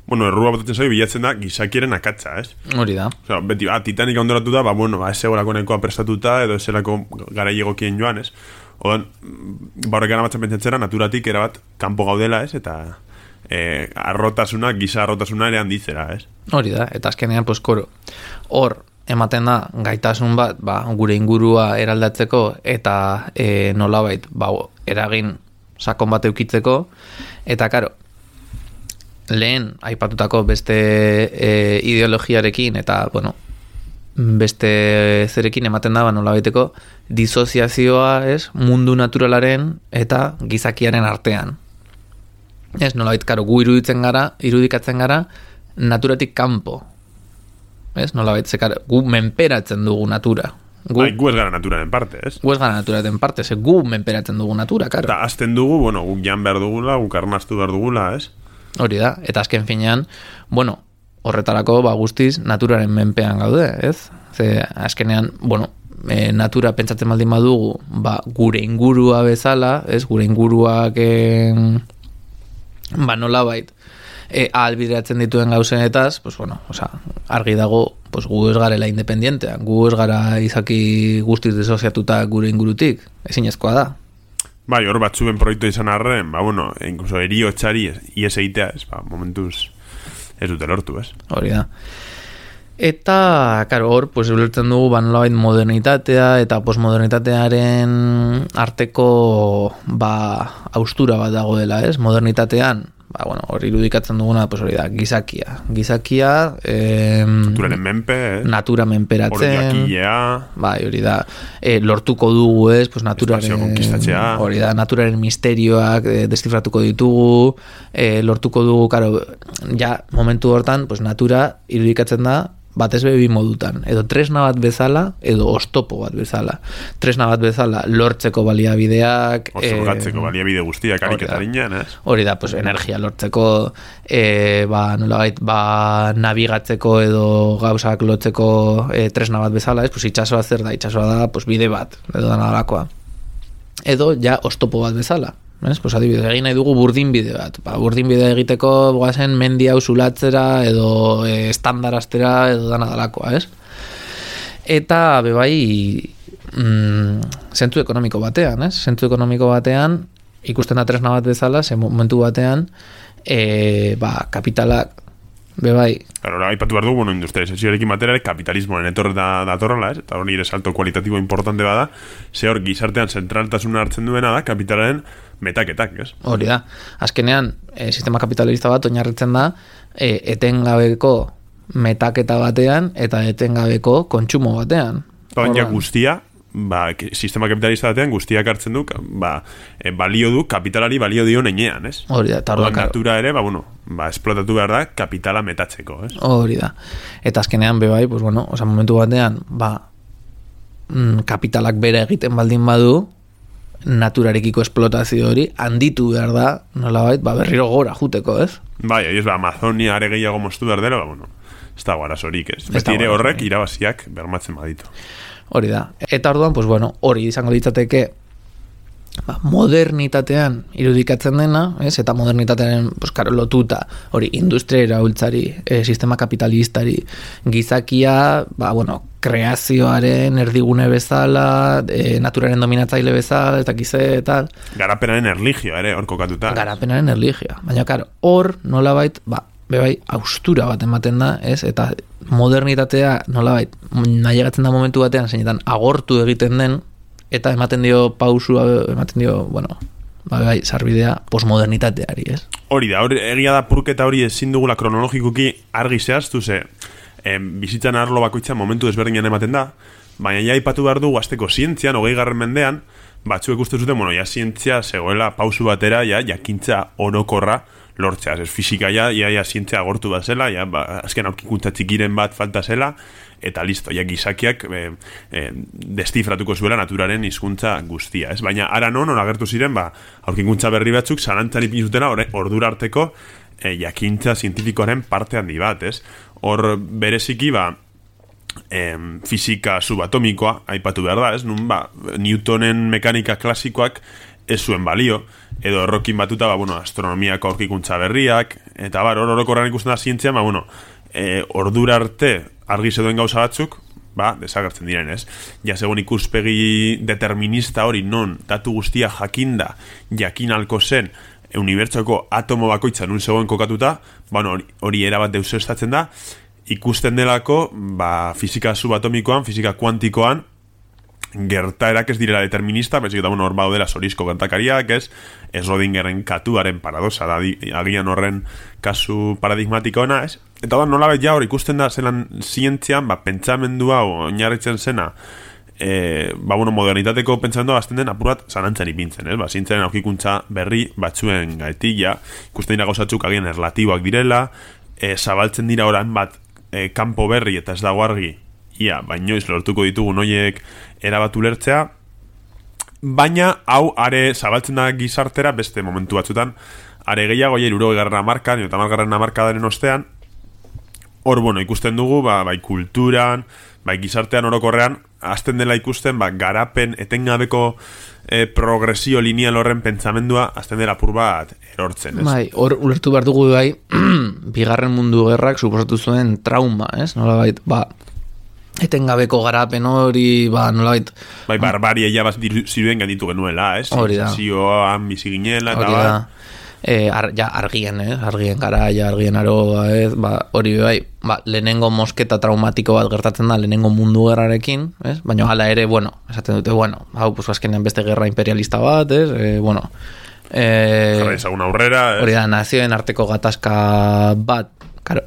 errua botatzen zaio bilatzen da gizakieren akatza, ez? Hori da. Osea, beti, Titanica ondoratu da, ez egolako nekoa prestatuta, edo ez egolako gara egokien joan, ez? Odan, horrek gara batzen pentsatzera, naturatik erabat kanpo gaudela, ez? Eta giza arrotasuna ere handitzera, ez? Hori da, eta azkenean, koro, hor, ematen da gaitasun bat, gure ingurua eraldatzeko eta nolabait, eragin sakon bat eukitzeko, eta karo, lehen aipatutako beste ideologiarekin eta, beste zerekin ematen da, nolabaiteko disoziazioa, ez, mundu naturalaren eta gizakiaren artean. Ez, nolabait, karo, gu irudikatzen gara naturatik kanpo. Ez, nolabait, gu menperatzen dugu natura. Gu ez gara naturaren parte, ez? Gu ez gara naturaren parte, ze gu menperatzen dugu natura, karo. Eta azten dugu, guk jan behar dugula, guk arnastu behar dugula, ez? Hori da, eta azken finean, horretarako guztiz naturaren menpean gaude, ez? Ze azkenean, natura pentsatzen baldin badugu, gure ingurua bezala, ez? Gure inguruak nolabait ahalbideratzen dituen gauzenetaz, argi dago, gu ez garela independientean, gu ez gara izaki guztiz desoziatuta gure ingurutik, ezinezkoa da. Bai, hor batzuen proiektu izan arren, incluso eriotxari ies egitea, momentuz ez dute lortu, ez? Hori da. Eta, karo, hor, ulertzen dugu, nolabait modernitatea eta postmodernitatearen arteko, haustura bat dago dela, ez? Modernitatean, hor irudikatzen duguna, hori da, gizakia. Gizakia, naturaren menpe, natura menperatzen. Hori jakilea. Hori da, lortuko dugu, ez? Naturaren, hori da, naturaren misterioak destifratuko ditugu, lortuko dugu, karo, ja, momentu hortan, natura irudikatzen da, batez bebi modutan, edo tresna bat bezala, edo oztopo bat bezala. Tresna bat bezala lortzeko baliabideak, osorgatzeko baliabide guztiak ariketarinean, ez? Hori da, energia lortzeko, nolabait, nabigatzeko edo gauzak lotzeko tresna bat bezala, ez? Itxasoa zer da, itxasoa da, bide bat, edo da nadalakoa. Edo, ja, oztopo bat bezala. Adibidez, egin nahi dugu burdin bide bat. Burdin bide egiteko goazen mendi hau zulatzera edo estandaraztera edo dana dalakoa, ez? Eta bebai zentzu ekonomiko batean, ez? Zentzu ekonomiko batean ikusten da tresna bat bezala, ze momentu batean kapitalak bebai. Claro, aipatu behar dugu, industrializazioarekin batera kapitalismoaren datorrela, ez? Eta hori ere salto kualitatibo importante bada, ze hor gizartean zentraltasuna hartzen duena da kapitalaren metaketak, ez? Hori da. Azkenean, sistema kapitalista bat oinarritzen da etengabeko metaketa batean eta etengabeko kontsumo batean. Baina guztia, sistema kapitalista batean guztiak hartzen du, balio du, kapitalari balio dio nenean, ez? Hori da. Natura ere, esplotatu behar da kapitala metatzeko, ez? Hori da. Eta azkenean, bebai, momentu batean, kapitalak bera egiten baldin badu, naturarekiko esplotazio hori handitu behar da, nolabait, berriro gora juteko, ez? Bai, Amazonia are gehiago moztu behar dela, ez da guarazorik, ez? Beti ere horrek irabaziak bermatzen baditu. Hori da. Eta orduan, hori izango ditzateke modernitatean irudikatzen dena, ez? Eta modernitatearen lotuta, hori industria iraultzari, sistema kapitalistari, gizakia, kreazioaren erdigune bezala, naturaren dominatzaile bezala, eta gize, eta... Garapenaren erligioa ere, hor kokatuta. Garapenaren erligioa. Baina, hor nolabait, bebai, haustura bat ematen da, ez? Eta modernitatea nolabait, nahiagatzen da momentu batean, zeinetan agortu egiten den, eta ematen dio pausua, sarbidea postmodernitateari, ez? Hori da, egia da purketa hori ezin dugula kronologikuki argi zehaztu, ze bizitzan arlo bakoitza momentu desberdinan ematen da, baina ja aipatu behar dugu azteko zientzian, 20. mendean, batzuek uste zuten, zientzia zegoela pausu batera, jakintza orokorra lortzea, ez fizika zientzia agortu bat zela, azken aurkikuntza txikiren bat falta zela, eta listo, gizakiak destifratuko zuela naturaren hizkuntza guztia, ez? Baina ara non agertu ziren, aurkikuntza berri batzuk zalantzan ipinzutena ordura arteko jakintza zientifikoaren parte handi bat, ez? Hor bereziki, fizika subatomikoa aipatu behar da, ez? Nun, Newtonen mekanika klasikoak ez zuen balio, edo errokin batuta, astronomiako aurkikuntza berriak, eta orokorran ikusten da zientzia, ordura arte argi zeuden gauza batzuk, desagertzen diren, ez? Ja, segun ikuspegi determinista hori non datu guztia jakinda, jakin alko zen, unibertsoko atomo bakoitza nun zegoen kokatuta, hori erabat deusestatzen da, ikusten delako, fizika subatomikoan, fizika kuantikoan, gertaerak ez direla determinista, baizik eta hor baudela zorizko gertakariak, ez Schrödingeren katuaren paradoxa da, agian horren kasu paradigmatiko ona, ez? Eta nolabait ja hor ikusten da zelan zientzian, pentsamendua oinarritzen zena, modernitateko pentsamendua bazten den apurat zalantzan ipintzen, ez? Zientziaren aurkikuntza berri batzuen gaitila, ikusten dira gauzatzuk agian erlatiboak direla, zabaltzen dira orain bat kanpo berri eta ez dago argi ia, bainoiz lortuko ditugun hoiek erabat ulertzea, baina hau are zabaltzen da gizartera beste momentu batzutan, are gehiago 60. hamarkadan edo 50. hamarkadaren ostean, hor, bueno, ikusten dugu, bai kulturan, bai gizartean orokorrean, hasten dela ikusten, garapen etengabeko progresio lineal horren pentsamendua hasten dela apur bat erortzen, ez? Bai, hor ulertu behar dugu bai, bigarren mundu gerrak suposatu zuen trauma, ez? Nolabait, etengabeko garapen hori, nolabait... Bai, barbaria ja ziruen ganditu genuela, ez? Hori da. Zioan bizi ginela, eta hori da. Argien, argien garaia, argien aroa, hori bai, lehenengo mosketa traumatiko bat gertatzen da lehenengo mundu gerrarekin, baina hala ere, esaten dute, hau, azkenean beste gerra imperialista bat, jarra izagun aurrera, hori da, nazioen arteko gatazka bat,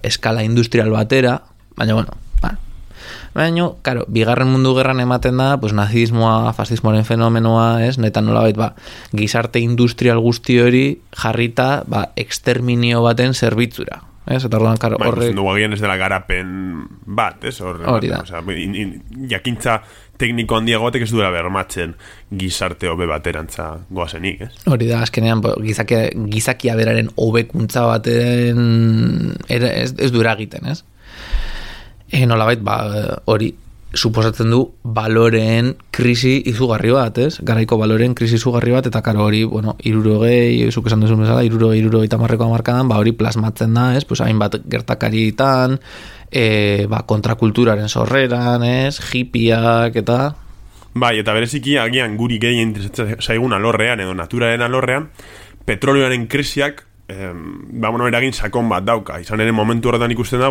eskala industrial batera, baina, bigarren mundu gerran ematen da, nazismoa, fascismoaren fenomenoa, neta nolabait, gizarte industrial guzti hori jarrita, exterminio baten zerbitzura. Eta orduan, horrek... Dugu agian ez dela garapen bat, hori da. Jakintza tekniko handiago batek ez duela bermatzen gizarte hobe baterantza goazenik, Hori da, azkenean, gizakia beraren hobekuntza baten ez du eragiten, nolabait, hori suposatzen du baloreen krisi izugarri bat, garaiko baloreen krisi izugarri bat, eta karo hori, 60, zuk esan duzun bezala, 60 hamarkadan, hori plasmatzen da, hainbat gertakaritan, kontrakulturaren sorreran, hippiak, eta... Bai, eta bereziki, agian guri gehien interesatzen zaigun alorrean, edo naturaren alorrean, petrolioaren krisiak, eragin sakon bat dauka, izan ere momentu horretan ikusten da,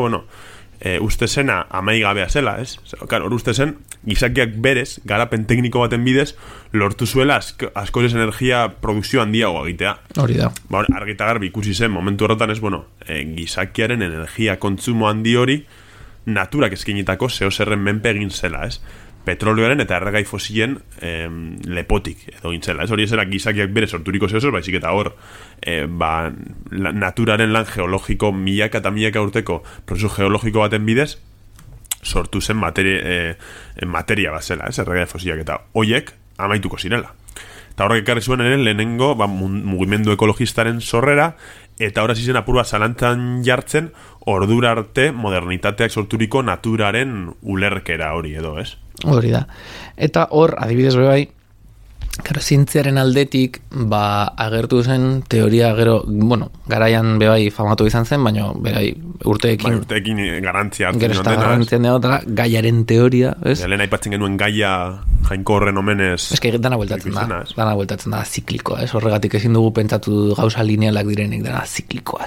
uste zena amaigabea zela, hor uste zen, gizakiak berez, garapen tekniko baten bidez, lortu zuela askozez energia produkzio handiago egitea. Hori da. Argita garbi ikusi zen, momentu horretan gizakiaren energia kontsumo handi hori, naturak eskinitako zerren menpe egin zela, petrolioaren eta erregai fosilen lepotik edo gintzela. Hori ez era gizakiak bere sorturiko zehozer, baizik eta hor naturaren lan geologiko milaka eta milaka urteko prozesu geologiko baten bidez sortu zen materia bat zela, erregai fosilak, eta hoiek amaituko zirela. Eta horrek ekarri zuen ere lehenengo mugimendu ekologistaren sorrera, eta horra zizen apurua zalantzan jartzen ordura arte modernitateak sorturiko naturaren ulerkera hori edo, Hori da. Eta hor, adibidez bai, zientziaren aldetik, agertu zen teoria gero, garaian bebai famatu izan zen, baina bebai urteekin garantzia hartzen gero garantzian dela, gaiaren teoria, Lehen aipatzen genuen gaia jainko horren omenez... Dana bueltatzen da, ziklikoa, horregatik ezin dugu pentsatu gauza linealak direnik, dana ziklikoa.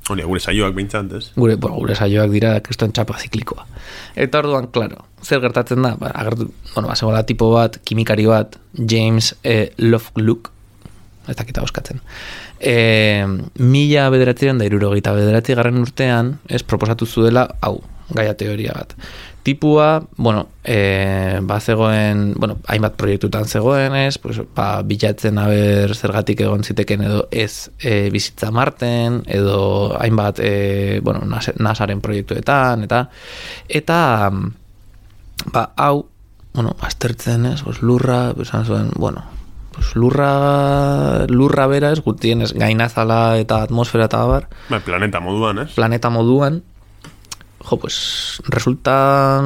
Hori, gure saioak behintzat, Gure saioak dira kriston txapa ziklikoa. Eta orduan, klaro, zer gertatzen da? Zegoela tipo bat, kimikari bat, James Lovelock, ez dakita oskatzen. 1969 garren urtean, proposatu zuela, gaia teoria bat. Tipua, zegoen, hainbat proiektutan zegoen, bilatzen haber zergatik egon ziteken edo ez bizitza Marten, edo hainbat, NASAren proiektuetan, eta hau, aztertzen lurra, esan zuen, lurra bera gutien gainazala eta atmosfera eta abar. Planeta moduan, Planeta moduan, resultan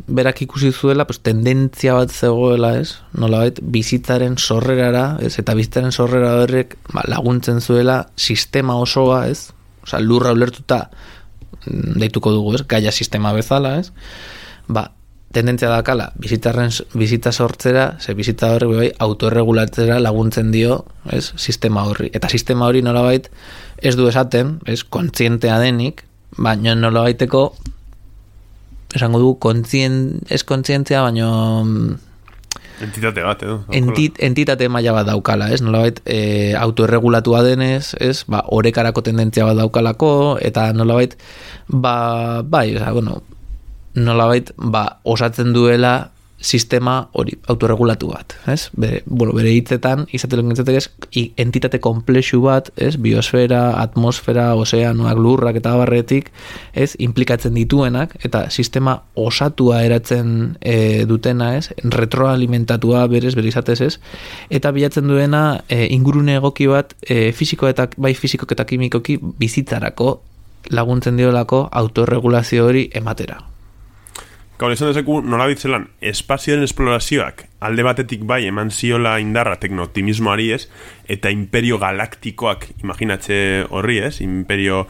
berak ikusi zuela, tendentzia bat zegoela, nolabait, bizitzaren sorrerara, eta bizitzaren sorrera horrek laguntzen zuela sistema osoa, lurra ulertuta deituko dugu, gaia sistema bezala, tendentzia dakala bizitza sortzera, bizitza horrek autorregulatzera laguntzen dio, sistema horri. Eta sistema hori nolabait ez du esaten, kontzientea denik, baina nolabaiteko esango du ez kontzientzia, baina entitate bat, entitate maila bat daukala, nolabait autoerregulatua denez, orekarako tendentzia bat daukalako, eta nolabait nolabait osatzen duela sistema hori autorregulatu bat, ez? Bere hitzetan izatelo gintzatek ez entitate komplexu bat, ez? Biosfera, atmosfera, ozeanoak, lurrak eta barretik, ez? Implikatzen dituenak eta sistema osatua eratzen dutena, ez? Retroalimentatua bere izatez, ez? Eta bilatzen duena ingurune egoki bat fisiko eta kimikoki bizitzarako laguntzen diolako autorregulazio hori ematera. Gaur esan dezeku nola bitzelan, espazioen esplorazioak alde batetik bai eman ziola indarra tekno-optimismoari ez, eta imperio galaktikoak imaginatze horri ez, imperio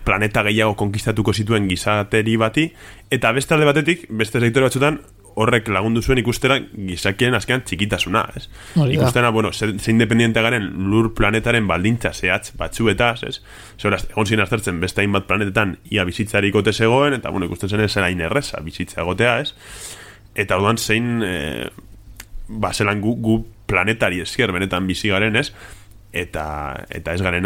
planeta gehiago konkistatuko zituen gizateri bati, eta beste alde batetik, beste sektore batzutan, horrek lagundu zuen ikustera gizakien azkean txikitasuna, ez? Ikustena, ze independiente garen lur planetaren baldintza zehatz batzuetaz, ez? Zehoraz, egon ziren aztertzen beste hainbat planetetan ia bizitzarik ote zegoen, eta ikusten zen zera inerreza bizitza egotea, ez? Eta orduan zein zelan gu planetari esker benetan bizi garen, ez? Eta ez garen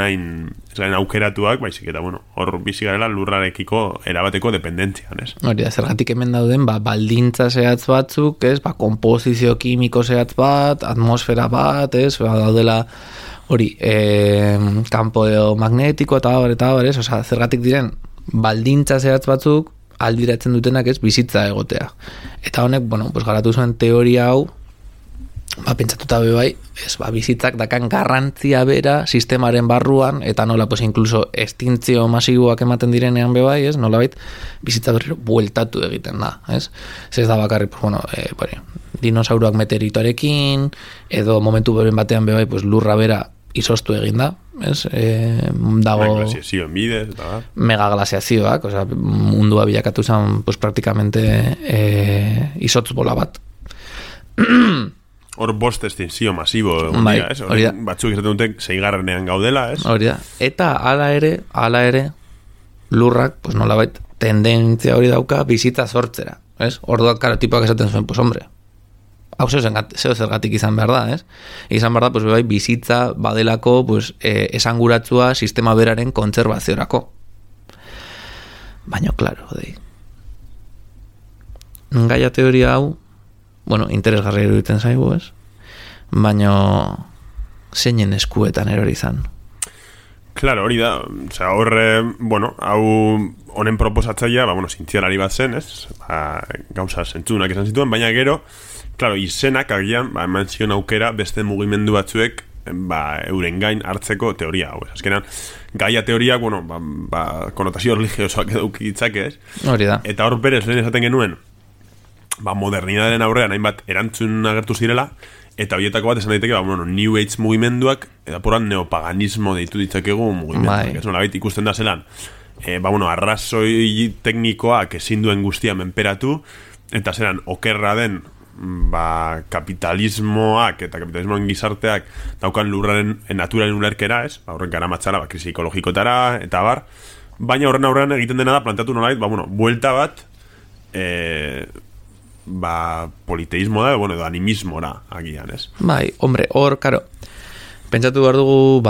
aukeratuak, baizik eta hor bizi garela lurrarekiko erabateko dependentzian, ez? Hori da, zergatik hemen dauden baldintza zehatz batzuk, ez? Komposizio kimiko zehatz bat, atmosfera bat, ez? Daudela hori, kampo magnetiko eta bar, ez? Osea, zergatik diren baldintza zehatz batzuk aldiratzen dutenak, ez? Bizitza egotea. Eta honek, garatu zuen teoria hau, pentsatuta bai, bizitzak dakan garrantzia bera sistemaren barruan, eta nola, incluso estintzio masiboak ematen direnean bai, ez, nola bait, bizitza berriro bueltatu egiten da, ez? Ez da bakarri, dinosauroak meteoritoarekin, edo momentu beren batean bai, lurra bera izoztu egin da, ez? Dago glaziazioen bidez, eta megaglaziazioak, osea, mundua bilakatu zen, praktikamente izotz bola bat. Hor bost estinzio masibo bai, ez? Batzuk izaten dute 6. gaudela, ez? Hori da. Eta hala ere lurrak, nolabait tendentzia hori dauka bizitza sortzera, ez? Orduan karo tipoak esaten zuen, hombre, hau zeo zergatik izan behar da, ez? Izan behar da, bai, bizitza badelako esanguratzua sistema beraren kontserbaziorako. Baina, klaro, gaia teoria hau interesgarri eruditen zaigu, ez? Baina zeinen eskuetan erori izan. Claro, hori da. Osea, horre, hau honen proposatzaia, zientzialari bat zen, ez? Gauza zentzunak esan zituen, baina gero, claro, izenak agian, eman zion aukera beste mugimendu batzuek euren gain hartzeko teoria hau, ez? Azkenan, gaia teoriak, konotazio religiosoak edukitzak, ez? Hori da. Eta hor berez lehen esaten genuen, modernidadaren aurrean hainbat erantzun agertu zirela, eta horietako bat esan daiteke, New Age mugimenduak, eta poran neopaganismo deitu ditzakegu mugimenduak. Ez nolabait ikusten da zelan, arrazoi teknikoak ezin duen guztia menperatu, eta zelan okerra den kapitalismoak eta kapitalismoen gizarteak daukan lurraren naturaren ulerkera, ez? Horren gara matxara, krisi ekologikotara, eta bar. Baina horren aurrean egiten dena da, planteatu nolabait, buelta bat, politeísmo da, edo animismora agian, ez? Bai, hombre, hor, karo, pentsatu behar dugu,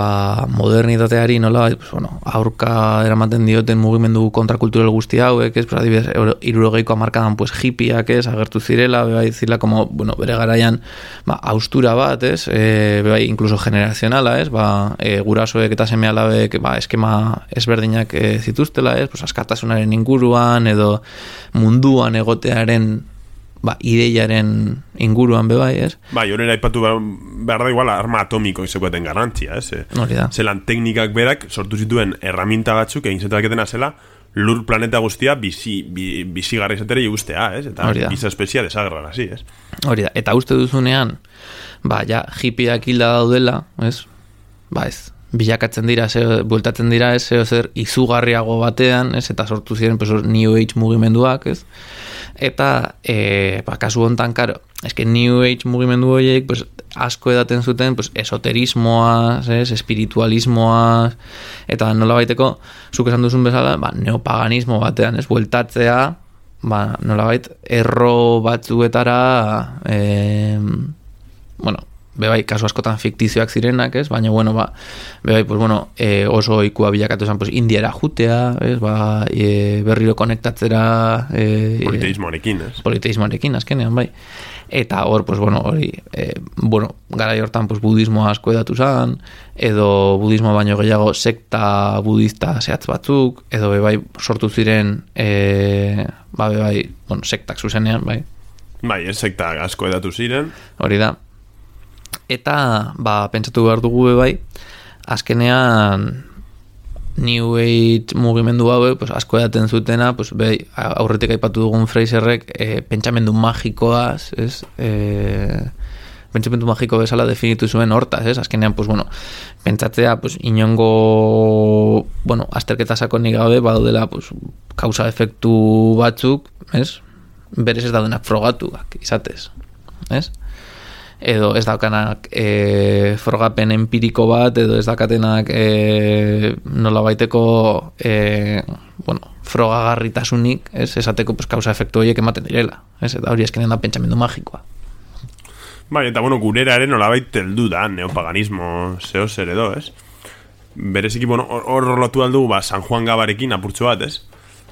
modernitateari nola, aurka eramaten dioten mugimendu kontrakultural guzti hauek, ez? Adibidez, 60ko hamarkadan, hippiak, ez? Agertu zirela, zirela, bere garaian, austura bat, ez? Incluso generazionala, ez? Gurasoek eta seme alabek, eskema ezberdinak zituztela, ez? Askatasunaren inguruan, edo munduan egotearen ideiaren inguruan bai, ez? Horrela aipatu behar da igual arma atomiko izakoeten garantzia, ez? Hori da. Zelan teknikak berak sortu zituen erraminta batzuk egin zetaketena zela lur planeta guztia bizigarri izatera igustea, ez? Eta giza espezia desagerran hasi, ez? Hori da. Eta uste duzunean, hippiak hilda daudela, ez? Ez. Bilakatzen dira, bueltatzen dira, ez? Zer izugarriago batean, ez? Eta sortu ziren, New Age mugimenduak, ez? Eta, kasu hontan, karo, eske New Age mugimendu horiek, asko edaten zuten, esoterismoa, espiritualismoa, eta nola baiteko, zuk esan duzun bezala, neopaganismo batean, ez, bueltatzea, nola bait, erro batzuetara, bebai, kasu askotan fiktizioak zirenak, ez? Baina, bueno, bebai, pues, bueno, oso ikua bilakatu zen, pues, Indiara jutea, ez? Berriro konektatzera... politeismoarekin, ez? Politeismoarekin, azkenean, bai. Eta hor, pues, bueno, hori, garai hortan, pues, budismoa asko edatu zen, edo budismo baino gehiago sekta budista zehatz batzuk, edo bebai sortu ziren, bebai, bueno, sektak zuzenean, bai. Bai, sekta asko edatu ziren. Hori da. Eta, pentsatu behar dugu bai, azkenean New Age mugimendu hau, pues, asko edaten zutena, pues, bai, aurretik aipatu dugun Fraserrek pentsamendu magikoaz, ez? Pentsamendu magiko bezala definitu zuen hortaz, ez? Azkenean, pues, bueno, pentsatzea, pues, inongo, bueno, azterketa sakonik gabe, badaudela, pues, kausa-efektu batzuk, ez? Berez ez daudenak frogatuak izatez, ez? Edo ez daukanak frogapen empiriko bat, edo ez daukatenak nola baiteko frogagarritasunik, ez? Esateko pues, kausa-efektu horiek ematen direla, ez? Eta hori eskenean da pentsamendu magikoa. Bai, eta bueno, gureraren nolabait heldu da neopaganismo zeo zer edo, ez? Bereziki, bueno, hor lotu aldu, San Juan Gabarekin apurtxo bat, ez?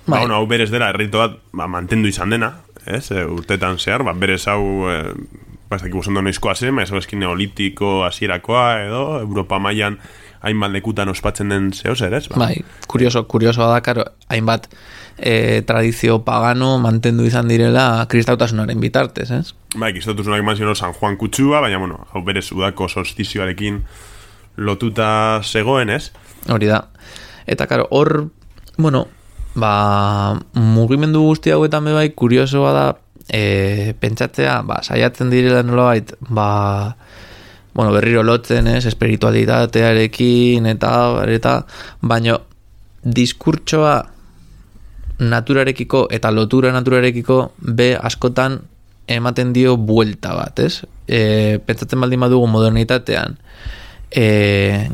Bai. Hau berez dela, errito bat, mantendu izan dena, ez? Urtetan zehar, berez hau, ez dakik ondo noizkoa zen, ez eskin neolitiko hasierakoa edo, Europa mailan hainbat lekutan ospatzen den zeo zer, ez? Bai, kuriosoa da, karo, hainbat tradizio pagano mantendu izan direla kristautasunaren bitartez, ez? Bai, kristautasunak eman ziren San Juan kutsua, baina, bueno, hau berez udako solstizioarekin lotuta zegoen, ez? Hori da. Eta, karo, hor, bueno, mugimendu guzti hauetan bai kuriosoa da pentsatzea, saiatzen direla nolabait, bueno, berriro lotzen, ez, espiritualitatearekin eta baino diskurtsoa naturarekiko eta lotura naturarekiko askotan ematen dio buelta bat, ez? Pentsatzen baldin badugu modernitatean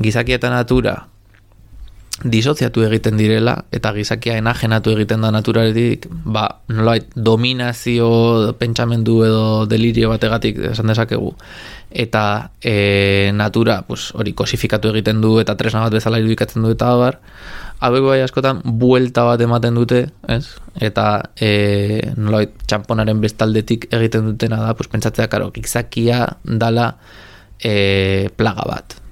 gizakia eta natura disoziatu egiten direla eta gizakia enajenatu egiten da naturaretik, nolabait dominazio pentsamendu edo delirio bategatik esan dezakegu, eta natura pues, hori kosifikatu egiten du eta tresna bat bezala irudikatzen du eta hauek bai askotan buelta bat ematen dute, ez? Eta nolabait txamponaren bestaldetik egiten dutena da, pues, pentsatzea, karo, gizakia dala plaga bat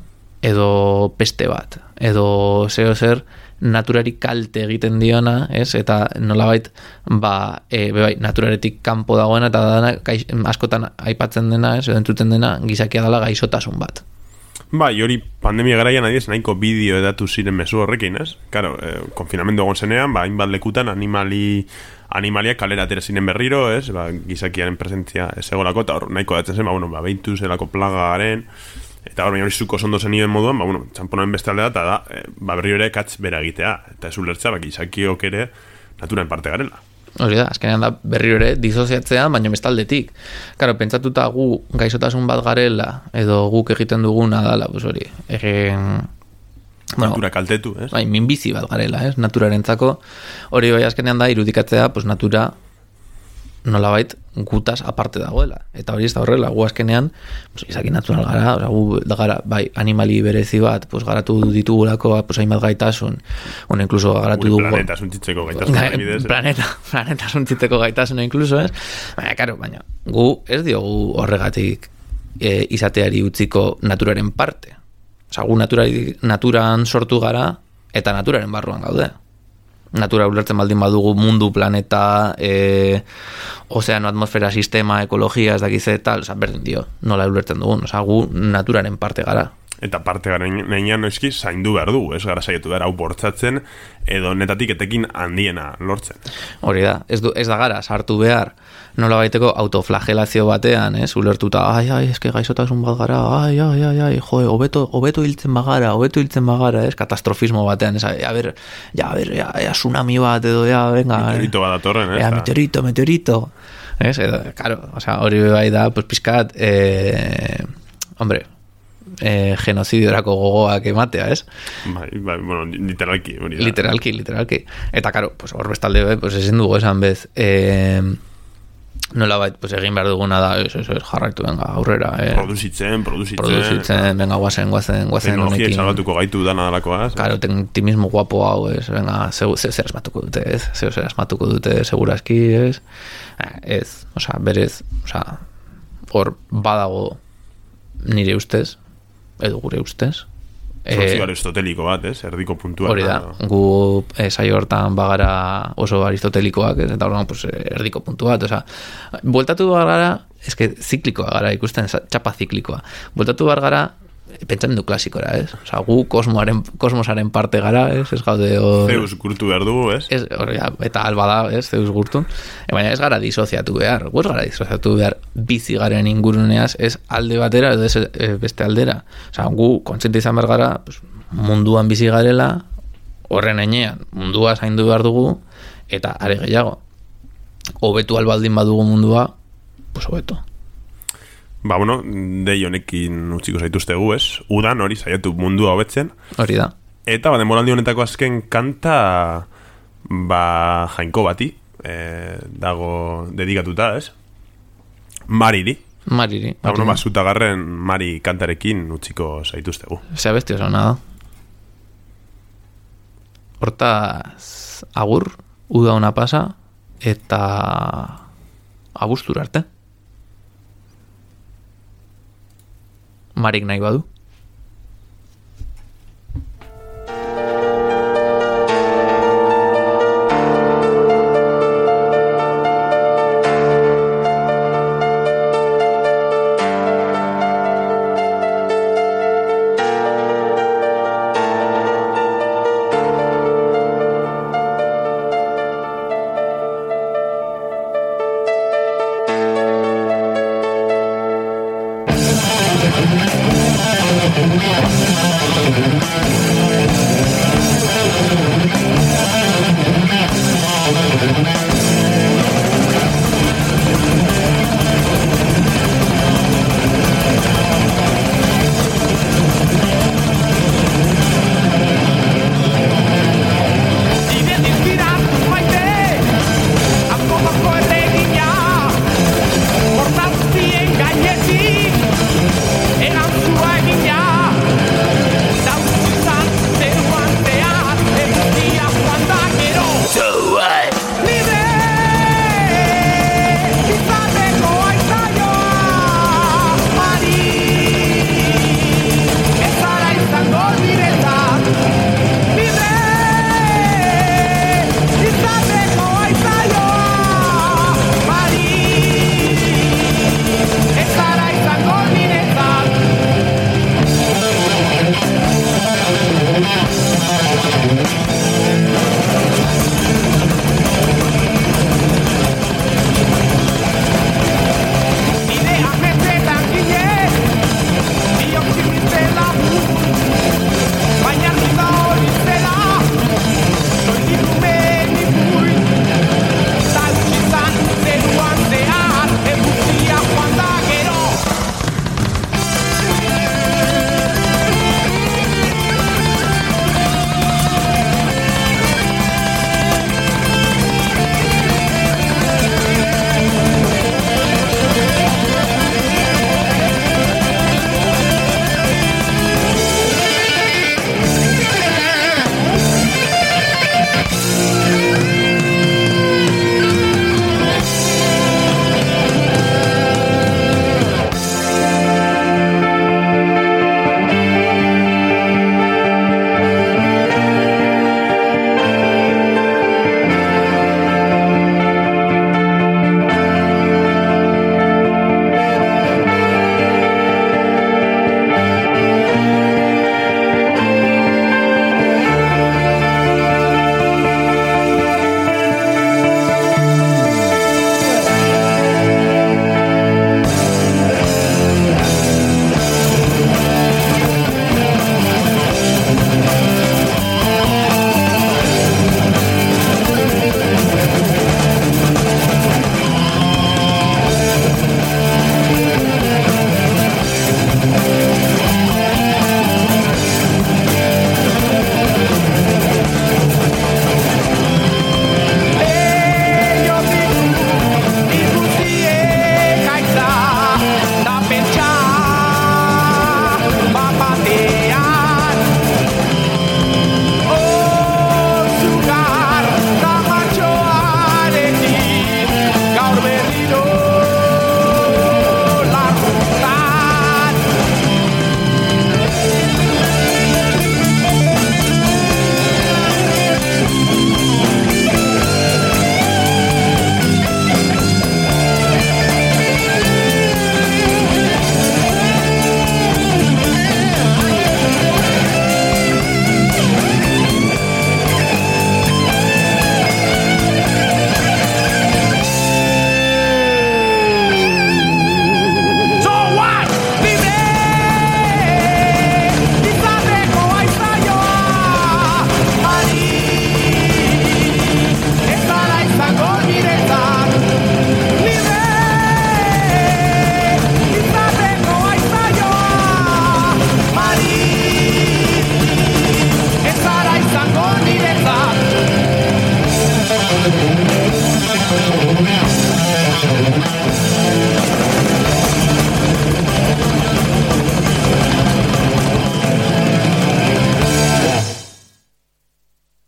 edo peste bat, edo zeo zer naturari kalte egiten diona, ez? Eta nolabait, naturaretik kanpo dagoena eta dana, askotan aipatzen dena, ez? Edo entzuten dena, gizakia dela gaixotasun bat. Bai, hori pandemia garaian adiez nahiko bideo edatu ziren mezu horrekin, ez? Karo, konfinamendu egon zenean, hainbat lekutan animaliak kalera atera ziren berriro, ez? Gizakiaren presentzia ez egolako, eta hor nahiko datzen zen, behitu zelako plagaren, eta hor, baina hori zuko zondo zenioen moduan, txamponoen beste aldea, eta berri ere katz bera egitea, eta ez ulertza, gizakiok ere naturen parte garela. Hori da, azkenean da berriro ere disoziatzea, baina bestaldetik. Karo, pentsatuta gu gaixotasun bat garela, edo guk egiten duguna dala, pues hori, natura kaltetu, ez? Bai, minbizi bat garela, ez? Naturarentzako, hori bai azkenean da irudikatzea, pues natura nolabait gutaz aparte dagoela. Eta hori ez da horrela, gu azkenean pues, izaki natural gara, gu gara, bai, animali berezi bat, pues, garatu ditugulako, pues, hainbat gaitasun, incluso garatu dugu... Planeta suntzitzeko gaitasun. Planeta suntzitzeko gaitasun, incluso, ez? Baina, gu ez diogu horregatik izateari utziko naturaren parte. Gu naturan sortu gara, eta naturaren barruan gaude. Natura ulertzen baldin badugu mundu, planeta, ozeano, atmosfera, sistema, ekologia, ez dakize, tal, berdin dio, nola ulertzen dugun, gu naturaren parte gara. Eta parte garen nenean noizki zaindu behar du, ez gara saietu behar hau bortzatzen, edo netatik etekin handiena lortzen. Hori da, ez da gara sartu behar, nola baiteko autoflagelazio batean, ez, ulertuta, eske gaixotasun bat gara, hobeto hiltzen bagara, ez, katastrofismo batean, ez, tsunami bat, edo, venga, meteorito bat atorren, ez, meteorito, ez, edo, karo, hori bai da, pues, pizkat, hombre, genocidiorako gogoak ematea, ez? Bai, bueno, literalki. Literalki. Eta, karo, pues, hor bestalde, pues, ezin dugu esan bez, nola bait, pues egin behar duguna da, jarraitu venga, aurrera. Produzitzen. Venga, guazen teknologia salbatuko gaitu dana dalakoa. Claro, optimismo guapo hau, venga, zer asmatuko dute, segurazki, berez, hor badago nire ustez, edo gure ustez, Zortzi aristoteliko bat, erdiko puntua. Hori da, gu saio hortan bagara oso aristotelikoak, eta horren pues, erdiko puntu bat, bueltatu gara, ziklikoa gara ikusten, txapa ziklikoa, bueltatu gara, pentsamendu klasikora, gu kosmosaren parte gara, ez gaude... Zeus gurtu behar dugu, eta alba da, Zeus gurtu, baina ez gara disoziatu behar, bizi garen inguruneaz, ez alde batera, edo ez beste aldera, gu kontziente izan behar gara, munduan bizi garela, horren enean, mundua zaindu behar dugu, eta are gehiago, hobetu albaldin badugu mundua, pues hobeto. Dei honekin utziko zaituztegu, udan hori saiatu mundua hobetzen. Hori da. Eta denboraldi honetako azken kanta jainko bati dago dedikatuta, Mariri. Zutagarren Mari kantarekin utziko zaituztegu. Zea besti oso nada. Hortaz agur, uda ona pasa, eta abuztura arte. Marik nahi badu.